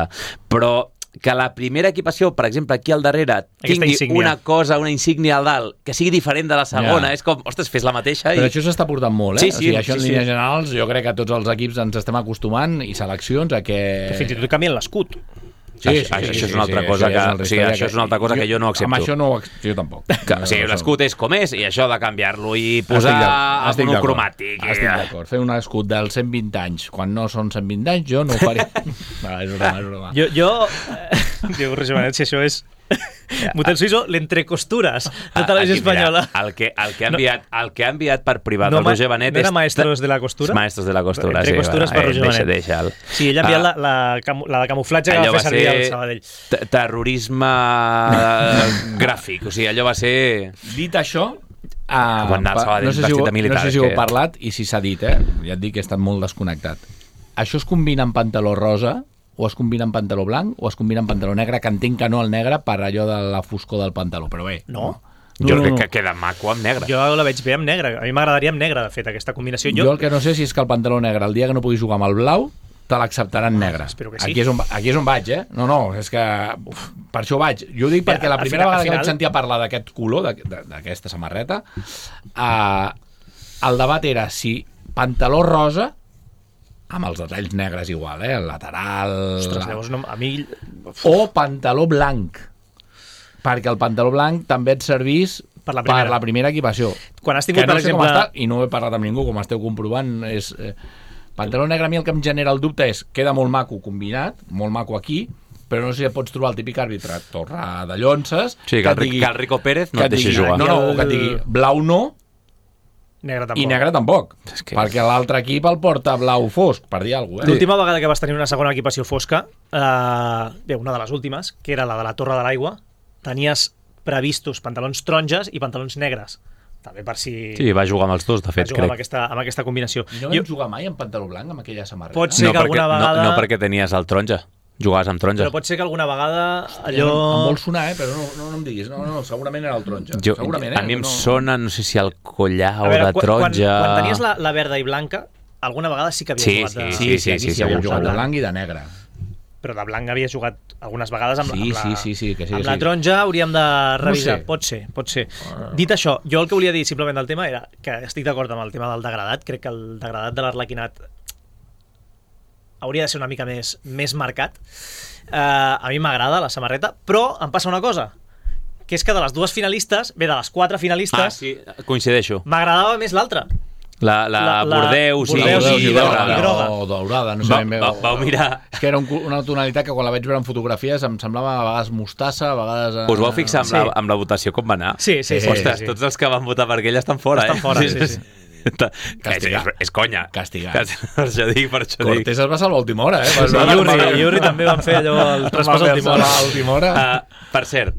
Però... que la primera equipació, per exemple, aquí al darrere tingui una cosa, una insígnia al dalt que sigui diferent de la segona, ja. És com, ostres, fes la mateixa i... Però això s'està portant molt, eh? Sí, sí, o sigui, això sí, en sí. línies generals jo crec que tots els equips ens estem acostumant i seleccions a que... Que fins i tot canvien l'escut. Sí, sí, sí, això, sí, això és una altra sí, cosa que, o sigui, això és una altra cosa que, que jo no accepto. Amb això no jo tampoc. Que, o sigui, l'escut és com és i això de canviar-lo i posar el monocromàtic. Estic d'acord. Fer un escut dels cent vint anys quan no són cent vint anys, jo no ho faré. Va, és broma, és broma. Jo, jo diu Roger Benet, si això és Motel Suïsso, l'entrecostures de Televisió Espanyola. Mira, el, que, el, que ha enviat, el que ha enviat per privat no, el Roger Benet no era Maestros de la Costura? Maestros de la Costura, sí. Entrecostures per Roger Benet. Deixa, deixa sí, ell ha enviat uh, la, la, la de camuflatge que va fer servir al Sabadell. Terrorisme gràfic, o sigui, allò va ser... Dit això... Uh, no sé si ho, militar, no sé si ho he parlat i si s'ha dit, eh? Ja et dic que he estat molt desconnectat. Això es combina amb pantaló rosa o es combina amb pantaló blanc o es combina amb pantaló negre, que entenc que no el negre per allò de la foscor del pantaló, però bé. No? no. Jo no, crec no. que queda maco amb negre. Jo la veig bé amb negre. A mi m'agradaria amb negre, de fet, aquesta combinació. Jo... jo el que no sé si és que el pantaló negre, el dia que no pugui jugar amb el blau, te l'acceptaran negre. Espero que sí. Aquí és, on, aquí és on vaig, eh? No, no, és que uf, per això vaig. Jo ho dic perquè la primera final, vegada que final... vaig sentir a parlar d'aquest color, d'aquesta samarreta, uh, el debat era si pantaló rosa, amb els detalls negres igual, eh? El lateral... Ostres, la... llavors no, a mi... O pantaló blanc, perquè el pantaló blanc també et servís per la primera, per la primera equipació. Quan has tingut, que no per sé exemple... com està, i no he parlat amb ningú, com esteu comprovant, és... Eh, pantaló negre a mi el que em genera el dubte és queda molt maco combinat, molt maco aquí, però no sé si pots trobar el típic àrbitre torra de llonces sí, que, que, el, digui, que el Rico Pérez no et deixi jugar. No, no, que et digui blau no negre tampoc. i negre tampoc, és que... perquè l'altre equip el porta blau fosc, per dir alguna cosa. Eh? L'última vegada que vas tenir una segona equipació fosca, eh, bé, una de les últimes, que era la de la Torre de l'Aigua, tenies previstos pantalons taronges i pantalons negres. També per si... Sí, va jugar amb els dos, de fet, crec. Amb aquesta, amb aquesta combinació. I no vam jo... jugar mai amb pantaló blanc, amb aquella samarreta? Pot ser no, que alguna perquè, vegada... No, no perquè tenies el taronja. Jugaves amb taronja. Però pot ser que alguna vegada Hòstia, allò... Em vol sonar, eh? Però no, no, no em diguis. No, no, segurament era el taronja. Jo, segurament, eh? A mi em no... sona, no sé si el collar o veure, de taronja... Quan, quan tenies la, la verda i blanca, alguna vegada sí que havia sí, jugat de... Sí, sí, sí, sí, sí, sí, sí, havia sí, jugat de blanc i de negre. però de blanc havia jugat algunes vegades amb, sí, amb, la, sí, sí, sí, que sí, amb que la sí. taronja. Hauríem de revisar. No sé. Pot ser, pot ser. Dit això, jo el que volia dir simplement del tema era que estic d'acord amb el tema del degradat. Crec que el degradat de l'Arlequinat hauria de ser una mica més, més marcat. Uh, a mi m'agrada la samarreta, però em passa una cosa, que és que de les dues finalistes, bé, de les quatre finalistes, Ah, sí, coincideixo. m'agradava més l'altra. La, la, La- la- Bordeus, Bordeus i, i i groga. groga. I groga. O daurada, no sé Va, ben bé. va, o- vau mirar... És que era un, una tonalitat que quan la vaig veure en fotografies em semblava a vegades mostassa, a vegades... eh, Us vau fixar amb, Sí. la, amb la votació com va anar? Sí, sí, sí. Ostres, sí, sí. tots els que van votar per aquella estan fora, Estan eh? fora, sí, sí. És, Castigat. és, és conya. Castigat. Per això dic, per això dic. Cortés es va salvar a última hora, eh? Sí, Va- va- Iurri, va- Iurri també van fer allò, el traspàs va a última hora. salvar a última hora. Uh, per cert,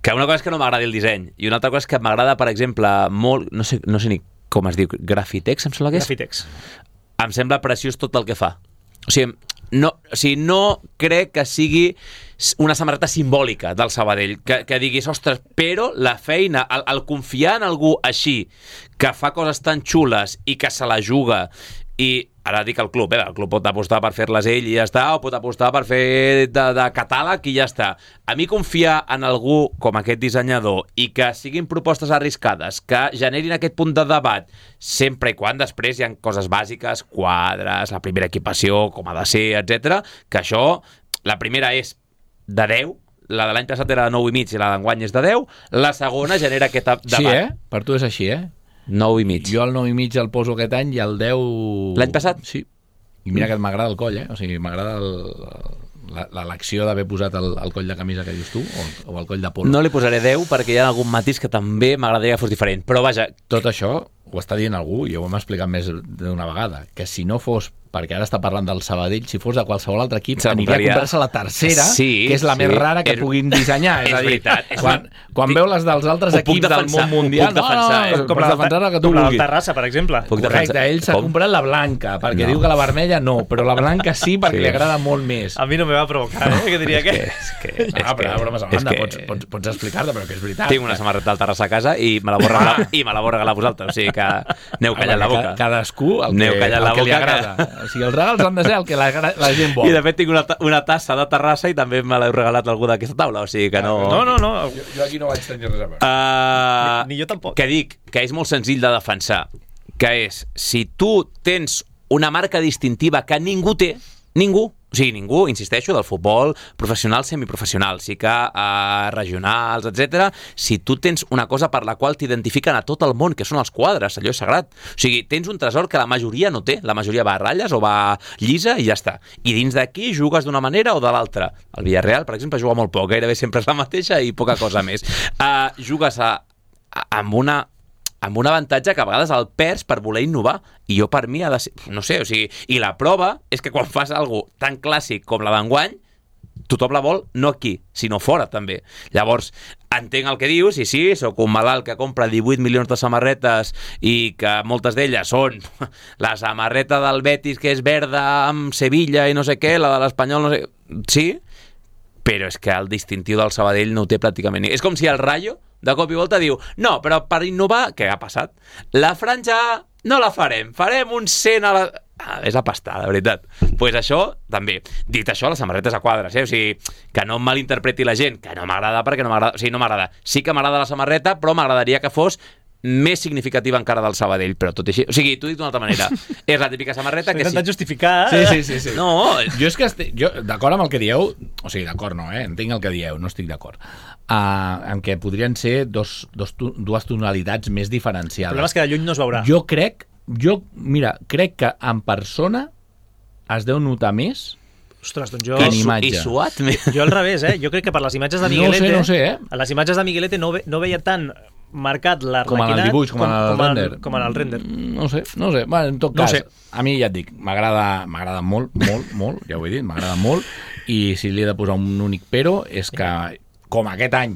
que una cosa és que no m'agradi el disseny i una altra cosa és que m'agrada, per exemple, molt... No sé, no sé ni com es diu, Grafitex, em sembla que és? Grafitex. Em sembla preciós tot el que fa. O sigui, no, o sigui, no crec que sigui una samarreta simbòlica del Sabadell, que, que diguis, ostres, però la feina, el, el confiar en algú així, que fa coses tan xules i que se la juga, i ara dic el club, eh? El club pot apostar per fer-les ell i ja està, o pot apostar per fer de, de catàleg i ja està. A mi confiar en algú com aquest dissenyador i que siguin propostes arriscades, que generin aquest punt de debat, sempre i quan després hi ha coses bàsiques, quadres, la primera equipació, com ha de ser, etcètera, que això, la primera és de deu, la de l'any passat era de nou i mig i la d'enguany és de deu, la segona genera aquest debat. Sí, eh? Per tu és així, eh? nou i mig. Jo el nou i mig el poso aquest any i el deu... L'any passat? Sí. I mira que m'agrada el coll, eh? O sigui, m'agrada el- la- l'elecció d'haver posat el, el coll de camisa que dius tu, o, o el coll de polo. No li posaré deu perquè hi ha algun matís que també m'agradaria que fos diferent, però vaja, Tot això ho està dient algú, i ho hem explicat més d'una vegada, que si no fos, perquè ara està parlant del Sabadell, si fos de qualsevol altre equip, Se la aniria a compraria. comprar-se la tercera, Sí, que és la sí. més rara que És- puguin dissenyar. És, és a dir, veritat, és quan, una- quan veu les dels altres Ho puc equips del defensar, món mundial, ho puc defensar, no, eh? no, Com pots la, defensar el que tu com la del vulguis. Terrassa, per exemple. Puc Correcte, defensar. ell s'ha Com? comprat la blanca, perquè No. diu que la vermella no, però la blanca sí, perquè Sí. li agrada molt més. A mi no me va provocar, eh? Que diria que... és que, és No, però que, bromes a és banda, que pots, pots, pots explicar-te, però que és veritat. tinc una samarreta del Terrassa a casa i me la vau regalar, i me la vau regalar a vosaltres, o sigui que aneu callant la boca. Ca- Cadascú el Aneu que, callant el la que li boca, agrada. que- O sigui, els regals han de ser el que la, la gent vol. I de fet tinc una, ta- una tassa de Terrassa i també me l'heu regalat a algú d'aquesta taula, o sigui que no... No, no, no. Jo, jo aquí no vaig tenir res a veure. Uh, Ni- ni jo tampoc. Que dic que és molt senzill de defensar, que és, si tu tens una marca distintiva que ningú té, ningú, o sigui, ningú, insisteixo, del futbol professional, semiprofessional, sí que uh, regionals, etcètera. Si tu tens una cosa per la qual t'identifiquen a tot el món, que són els quadres, allò és sagrat. O sigui, tens un tresor que la majoria no té. La majoria va a ratlles o va llisa i ja està. I dins d'aquí jugues d'una manera o de l'altra. El Villarreal, per exemple, juga molt poc, gairebé sempre és la mateixa i poca cosa més. Uh, jugues a, a, amb una amb un avantatge que a vegades el perds per voler innovar, i jo per mi ha de ser, no sé, o sigui, i la prova és que quan fas alguna tan clàssic com la d'enguany, tothom la vol no aquí, sinó fora també. Llavors, entenc el que dius, i sí, sóc un malalt que compra divuit milions de samarretes i que moltes d'elles són la samarreta del Betis que és verda amb Sevilla i no sé què, la de l'Espanyol no sé... Sí, però és que el distintiu del Sabadell no ho té pràcticament ni... És com si el Rayo de cop i volta diu, no, però per innovar, què ha passat? La franja no la farem, farem un cent a la... Ah, és a pastar, de veritat. Doncs pues això, també. Dit això, les samarretes a quadres, eh? O sigui, que no em malinterpreti la gent, que no m'agrada perquè no m'agrada... O sigui, no m'agrada. Sí que m'agrada la samarreta, però m'agradaria que fos més significativa encara del Sabadell, però tot i així... O sigui, t'ho dic d'una altra manera. És la típica samarreta que... S'ha intentat sí. justificar... Sí, sí, sí, sí. No, Jo és que estic, jo, d'acord amb el que dieu, o sigui, d'acord no, eh? Entenc el que dieu, no estic d'acord. Uh, en què podrien ser dos, dos, tu- dues tonalitats més El diferenciades. problema és que de lluny no es veurà. Jo crec, jo, mira, crec que en persona es deu notar més. Ostres, doncs jo... Que en i, su imatge. i suat. Jo al revés, eh? Jo crec que per les imatges de No Miguelete... sé, no sé, eh? A les imatges de Miguelete no, ve, no veia tan marcat Com en l'Arlequinat... el dibuix, com en el com, render. Com en el render. Mm, No sé, no sé. Bueno, en tot No cas, sé. a mi ja et dic, m'agrada m'agrada molt, molt, molt, ja ho he dit, m'agrada molt, i si li he de posar un únic però és que, com aquest any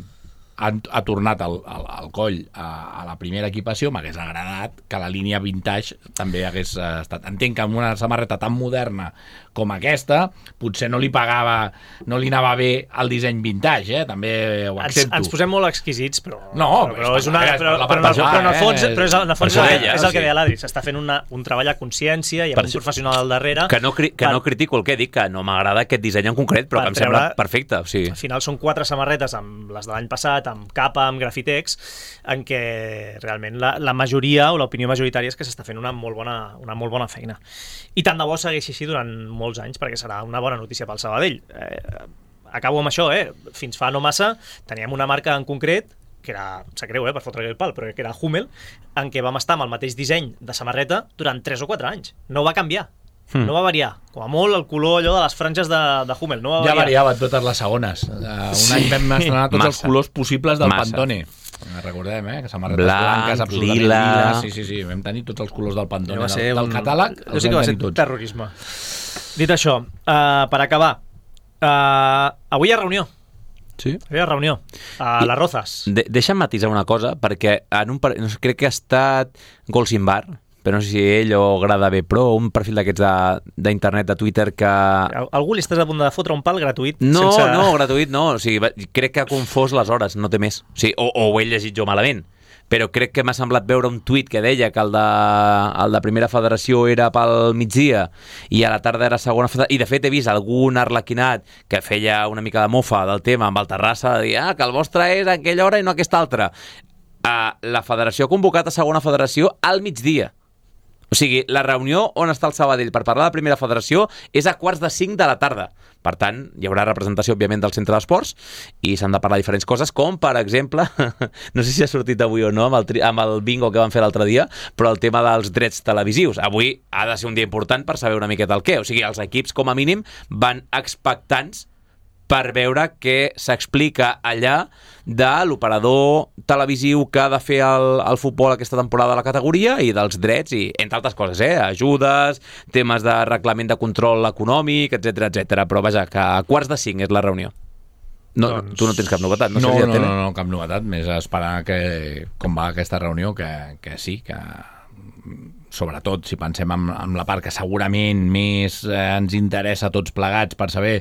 ha, ha tornat el, el, el coll a, a la primera equipació, m'hagués agradat que la línia vintage també hagués estat. Entenc que amb una samarreta tan moderna com aquesta, potser no li pagava, no li anava bé el disseny vintage, eh? També ho accepto. Ens, ens posem molt exquisits, però, no, però, però, és una, però, però, però, però en el fons, però és, en el fons és, és el que deia l'Adri, s'està fent una, un treball a consciència i amb un professional al darrere. Que no, cri, que per, no critico el que dic, que no m'agrada aquest disseny en concret, però que em treure, sembla perfecte. O sigui. Al final són quatre samarretes, amb les de l'any passat, amb capa, amb grafitex, en què realment la, la majoria o l'opinió majoritària és que s'està fent una molt bona, una molt bona feina. I tant de bo segueixi així durant molts anys, perquè serà una bona notícia pel Sabadell. Eh, acabo amb això, eh? Fins fa no massa teníem una marca en concret, que era, em sap greu, eh, per fotre el pal, però que era Hummel, en què vam estar amb el mateix disseny de samarreta durant tres o quatre anys. No va canviar. Hmm. No va variar. Com a molt el color allò de les franges de, de Hummel. No va ja variar. variava totes les segones. Uh, un sí. any vam estrenar tots Massa. els colors possibles del Massa. Pantone. Recordem, eh? Que samarretes Blanc, blanques, absolutament lila. lila. Sí, sí, sí. Vam tenir tots els colors del Pantone. Va del, del un... catàleg. Jo sé que va ser tots. Terrorisme. Dit això, uh, per acabar, uh, avui hi ha reunió. Sí? Avui hi ha reunió a I, les Rozas. De, deixa'm matisar una cosa, perquè en un, no sé, crec que ha estat Golsimbar, però no sé si ell o Grada B Pro, un perfil d'aquests d'internet, de, de Twitter que... Algú li estàs a punt de fotre un pal gratuït? No, sense... no, gratuït no. O sigui, crec que ha confós les hores, no té més. O, sigui, o, o ho he llegit jo malament. Però crec que m'ha semblat veure un tuit que deia que el de, el de Primera Federació era pel migdia i a la tarda era Segona Federació. I de fet he vist algun arlequinat que feia una mica de mofa del tema amb el Terrassa, de dir ah, que el vostre és a aquella hora i no a aquesta altra. Uh, la federació ha convocat a Segona Federació al migdia. O sigui, la reunió on està el Sabadell per parlar de la Primera Federació és a quarts de cinc de la tarda. Per tant, hi haurà representació, òbviament, del centre d'esports i s'han de parlar de diferents coses, com, per exemple, no sé si ha sortit avui o no amb el, tri amb el bingo que van fer l'altre dia, però el tema dels drets televisius. Avui ha de ser un dia important per saber una miqueta el què. O sigui, els equips, com a mínim, van expectants per veure què s'explica allà de l'operador televisiu que ha de fer el, el futbol aquesta temporada a la categoria i dels drets i, entre altres coses, eh, ajudes, temes de reglament de control econòmic, etcètera, etcètera. Però vaja, que a quarts de cinc és la reunió. No, doncs... Tu no tens cap novetat? No, no, no, no, no, no, cap novetat. Més esperar que, com va aquesta reunió, que, que sí, que sobretot si pensem en, en la part que segurament més eh, ens interessa a tots plegats per saber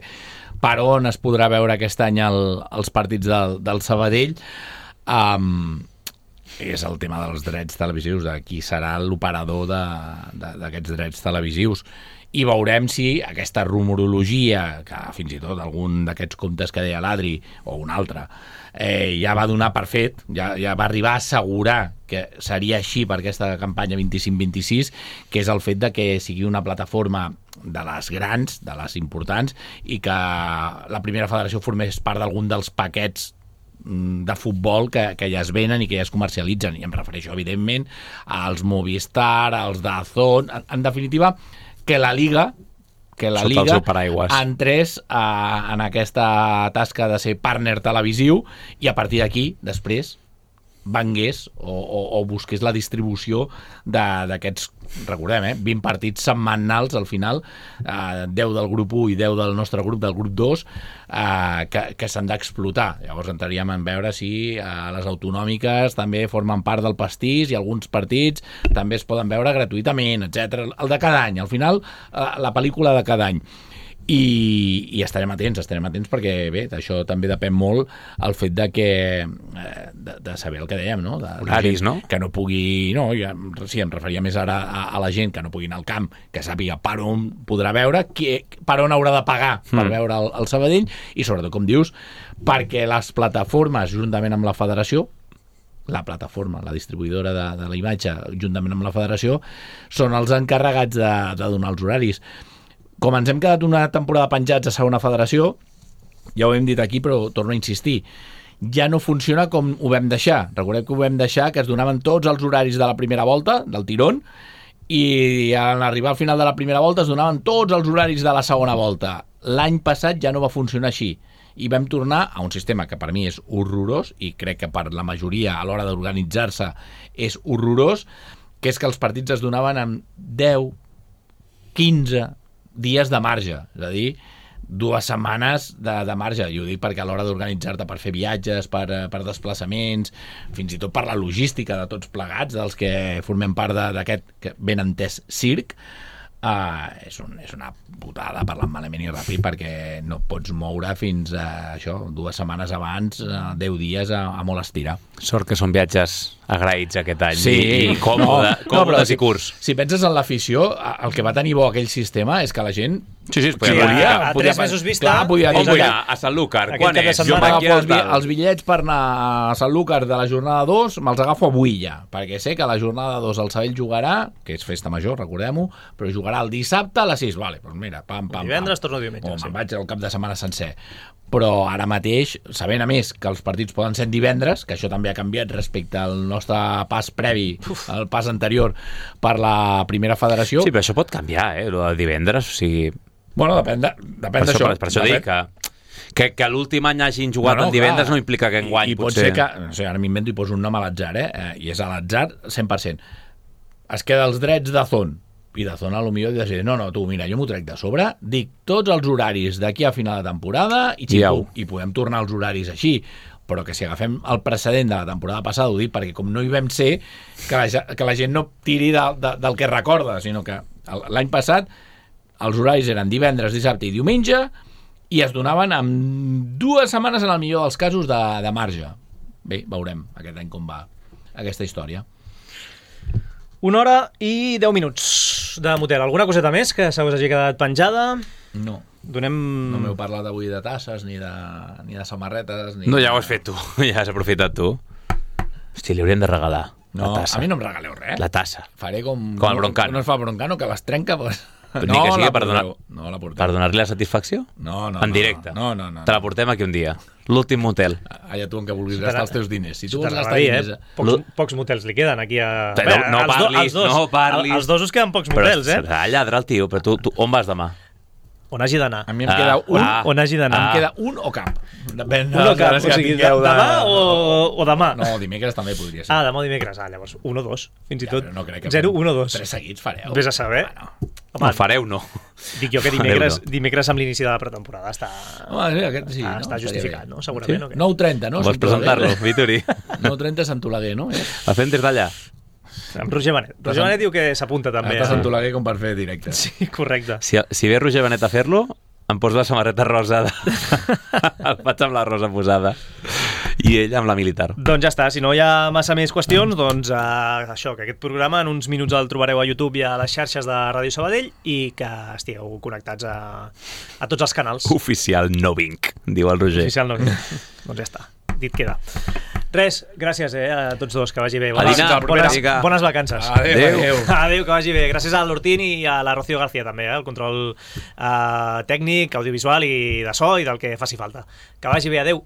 per on es podrà veure aquest any el, els partits del, del Sabadell, um, és el tema dels drets televisius, de qui serà l'operador d'aquests drets televisius. I veurem si aquesta rumorologia, que fins i tot algun d'aquests comptes que deia l'Adri, o un altre, eh, ja va donar per fet, ja, ja va arribar a assegurar que seria així per aquesta campanya vint-i-cinc vint-i-sis, que és el fet de que sigui una plataforma de les grans, de les importants, i que la Primera Federació formés part d'algun dels paquets de futbol que, que ja es venen i que ja es comercialitzen. I em refereixo, evidentment, als Movistar, als DAZN, en, en definitiva, que la Liga que la Sota Liga entrés a, en aquesta tasca de ser partner televisiu i a partir d'aquí, després, vengués o, o, o busqués la distribució d'aquests, recordem, eh, vint partits setmanals al final, eh, deu del grup u i deu del nostre grup, del grup dos, eh, que, que s'han d'explotar. Llavors entraríem en veure si eh, les autonòmiques també formen part del pastís i alguns partits també es poden veure gratuïtament, etcètera. El de cada any, al final, eh, la pel·lícula de cada any. I, i estarem atents, estarem atents perquè bé, d'això també depèn molt el fet de que eh, de, de saber el que dèiem, no? De, horaris, no? Que no pugui, no, ja, sí, em referia més ara a, a la gent que no pugui anar al camp, que sàpiga per on podrà veure, qui, per on haurà de pagar per mm. veure el, el Sabadell i sobretot, com dius, perquè les plataformes, juntament amb la federació, la plataforma, la distribuïdora de, de la imatge, juntament amb la federació, són els encarregats de, de donar els horaris. Com ens hem quedat una temporada penjats a Segona Federació, ja ho hem dit aquí, però torno a insistir, ja no funciona com ho vam deixar. Recordeu que ho vam deixar, que es donaven tots els horaris de la primera volta, del tirón, i en arribar al final de la primera volta es donaven tots els horaris de la segona volta. L'any passat ja no va funcionar així. I vam tornar a un sistema que per mi és horrorós, i crec que per la majoria a l'hora d'organitzar-se és horrorós, que és que els partits es donaven amb deu, quinze dies de marge, és a dir, dues setmanes de, de marge, i ho dic perquè a l'hora d'organitzar-te per fer viatges, per, per desplaçaments, fins i tot per la logística de tots plegats, dels que formem part d'aquest ben entès circ, Uh, és, un, és una putada, parlant malament i ràpid, perquè no pots moure fins a això, dues setmanes abans, uh, deu dies a, a molt estirar. Sort que són viatges agraïts aquest any, sí, i, i còmode, no, còmodes no, i curts. Si, si penses en l'afició, el que va tenir bo aquell sistema és que la gent sí, sí, es podia, sí, volia, a, a podia, tres mesos vista clar, podia dir, on vull anar? A Sanlúcar, quan és? Jo m'agafo els, els bitllets per anar a Sanlúcar de la jornada dos, me'ls agafo avui ja, perquè sé que la jornada dos el Sabell jugarà, que és festa major, recordem-ho, però jugarà el dissabte a les sis, vale, doncs mira, pam, pam, divendres pam. torno diumenge. O sí. me'n vaig al cap de setmana sencer. Però ara mateix, sabent a més que els partits poden ser divendres, que això també ha canviat respecte al nostre pas previ, Uf. al pas anterior per la primera federació. Sí, però això pot canviar, eh, el de divendres, o sigui... Bueno, depèn d'això. Per, per això dic que, que, que l'últim any hagin jugat no, no, en divendres clar. No implica que enguany I, i pot potser... ser que, no sé, ara m'invento i poso un nom a l'atzar, eh? I és a l'atzar cent per cent. Es queda els drets de Zon, i de Zona potser decidir, no, no, tu, mira, jo m'ho trec de sobre, dic tots els horaris d'aquí a final de temporada i, xipum, i podem tornar als horaris així, però que si agafem el precedent de la temporada passada, ho dic perquè com no hi vam ser, que la, que la gent no tiri de, de, del que recorda, sinó que l'any passat els horaris eren divendres, dissabte i diumenge i es donaven amb dues setmanes en el millor dels casos de, de marge. Bé, veurem aquest any com va aquesta història. Una hora i deu minuts de motel. Alguna coseta més que se us hagi quedat penjada? No. Donem... No m'heu parlat avui de tasses, ni de, ni de samarretes... Ni no, de... ja ho has fet tu. Ja has aprofitat tu. Hosti, li hauríem de regalar no, la tassa. A mi no em regaleu res. La tassa. Faré com... Com el Broncano. No es fa Broncano, que les trenca... Pues... Ni no, que sigui per donar, no la per donar-li la satisfacció? No, no. En directe? No, no, no. Te la portem aquí un dia. L'últim motel. Allà tu en què vulguis gastar els teus diners. Si tu vols gastar dir, diners... Eh? Pocs, pocs motels li queden aquí a... No, no parlis, do, dos, no parlis. Els dos us queden pocs motels, però eh? Però lladra el tio, però tu, tu on vas demà? On hagi d'anar. A mi em queda un... Ah, on hagi d'anar. Em queda un o cap. Depèn un o cap, si o sigui, de... demà o, o demà? No, dimecres també podria ser. Ah, demà o dimecres. Ah, llavors, un o dos, fins i ja, tot. No crec que zero, un o dos. Tres seguits fareu. Vés a saber. Bueno. Home, no fareu, no. Dic jo que dimecres, no. dimecres amb l'inici de la pretemporada està, Home, sí, aquest, sí, ah, no? està justificat, no? Segurament. Sí? No, nou trenta, no? Vols presentar-lo, Vitori? nou trenta Sant Oleguer, no? La fem des d'allà. Amb Roger Benet. Roger Benet diu que s'apunta també. Està a Sant Oleguer com per fer directe. Sí, correcte. Si, si ve Roger Benet a fer-lo, em poso la samarreta rosa. El faig amb la rosa posada. I ell amb la militar. Doncs ja està, si no hi ha massa més qüestions, doncs uh, això, que aquest programa en uns minuts el trobareu a YouTube i a les xarxes de Ràdio Sabadell i que estigueu connectats a, a tots els canals. Oficial no vinc, diu el Roger. Oficial no vinc. Doncs ja està, dit queda. Res, gràcies eh, a tots dos, que vagi bé. Bones, dinar, bones, bones vacances. Adéu, adéu. Adéu, que vagi bé. Gràcies a l'Hortín i a la Rocío García també, eh, el control eh, tècnic, audiovisual i de so i del que faci falta. Que vagi bé, adéu.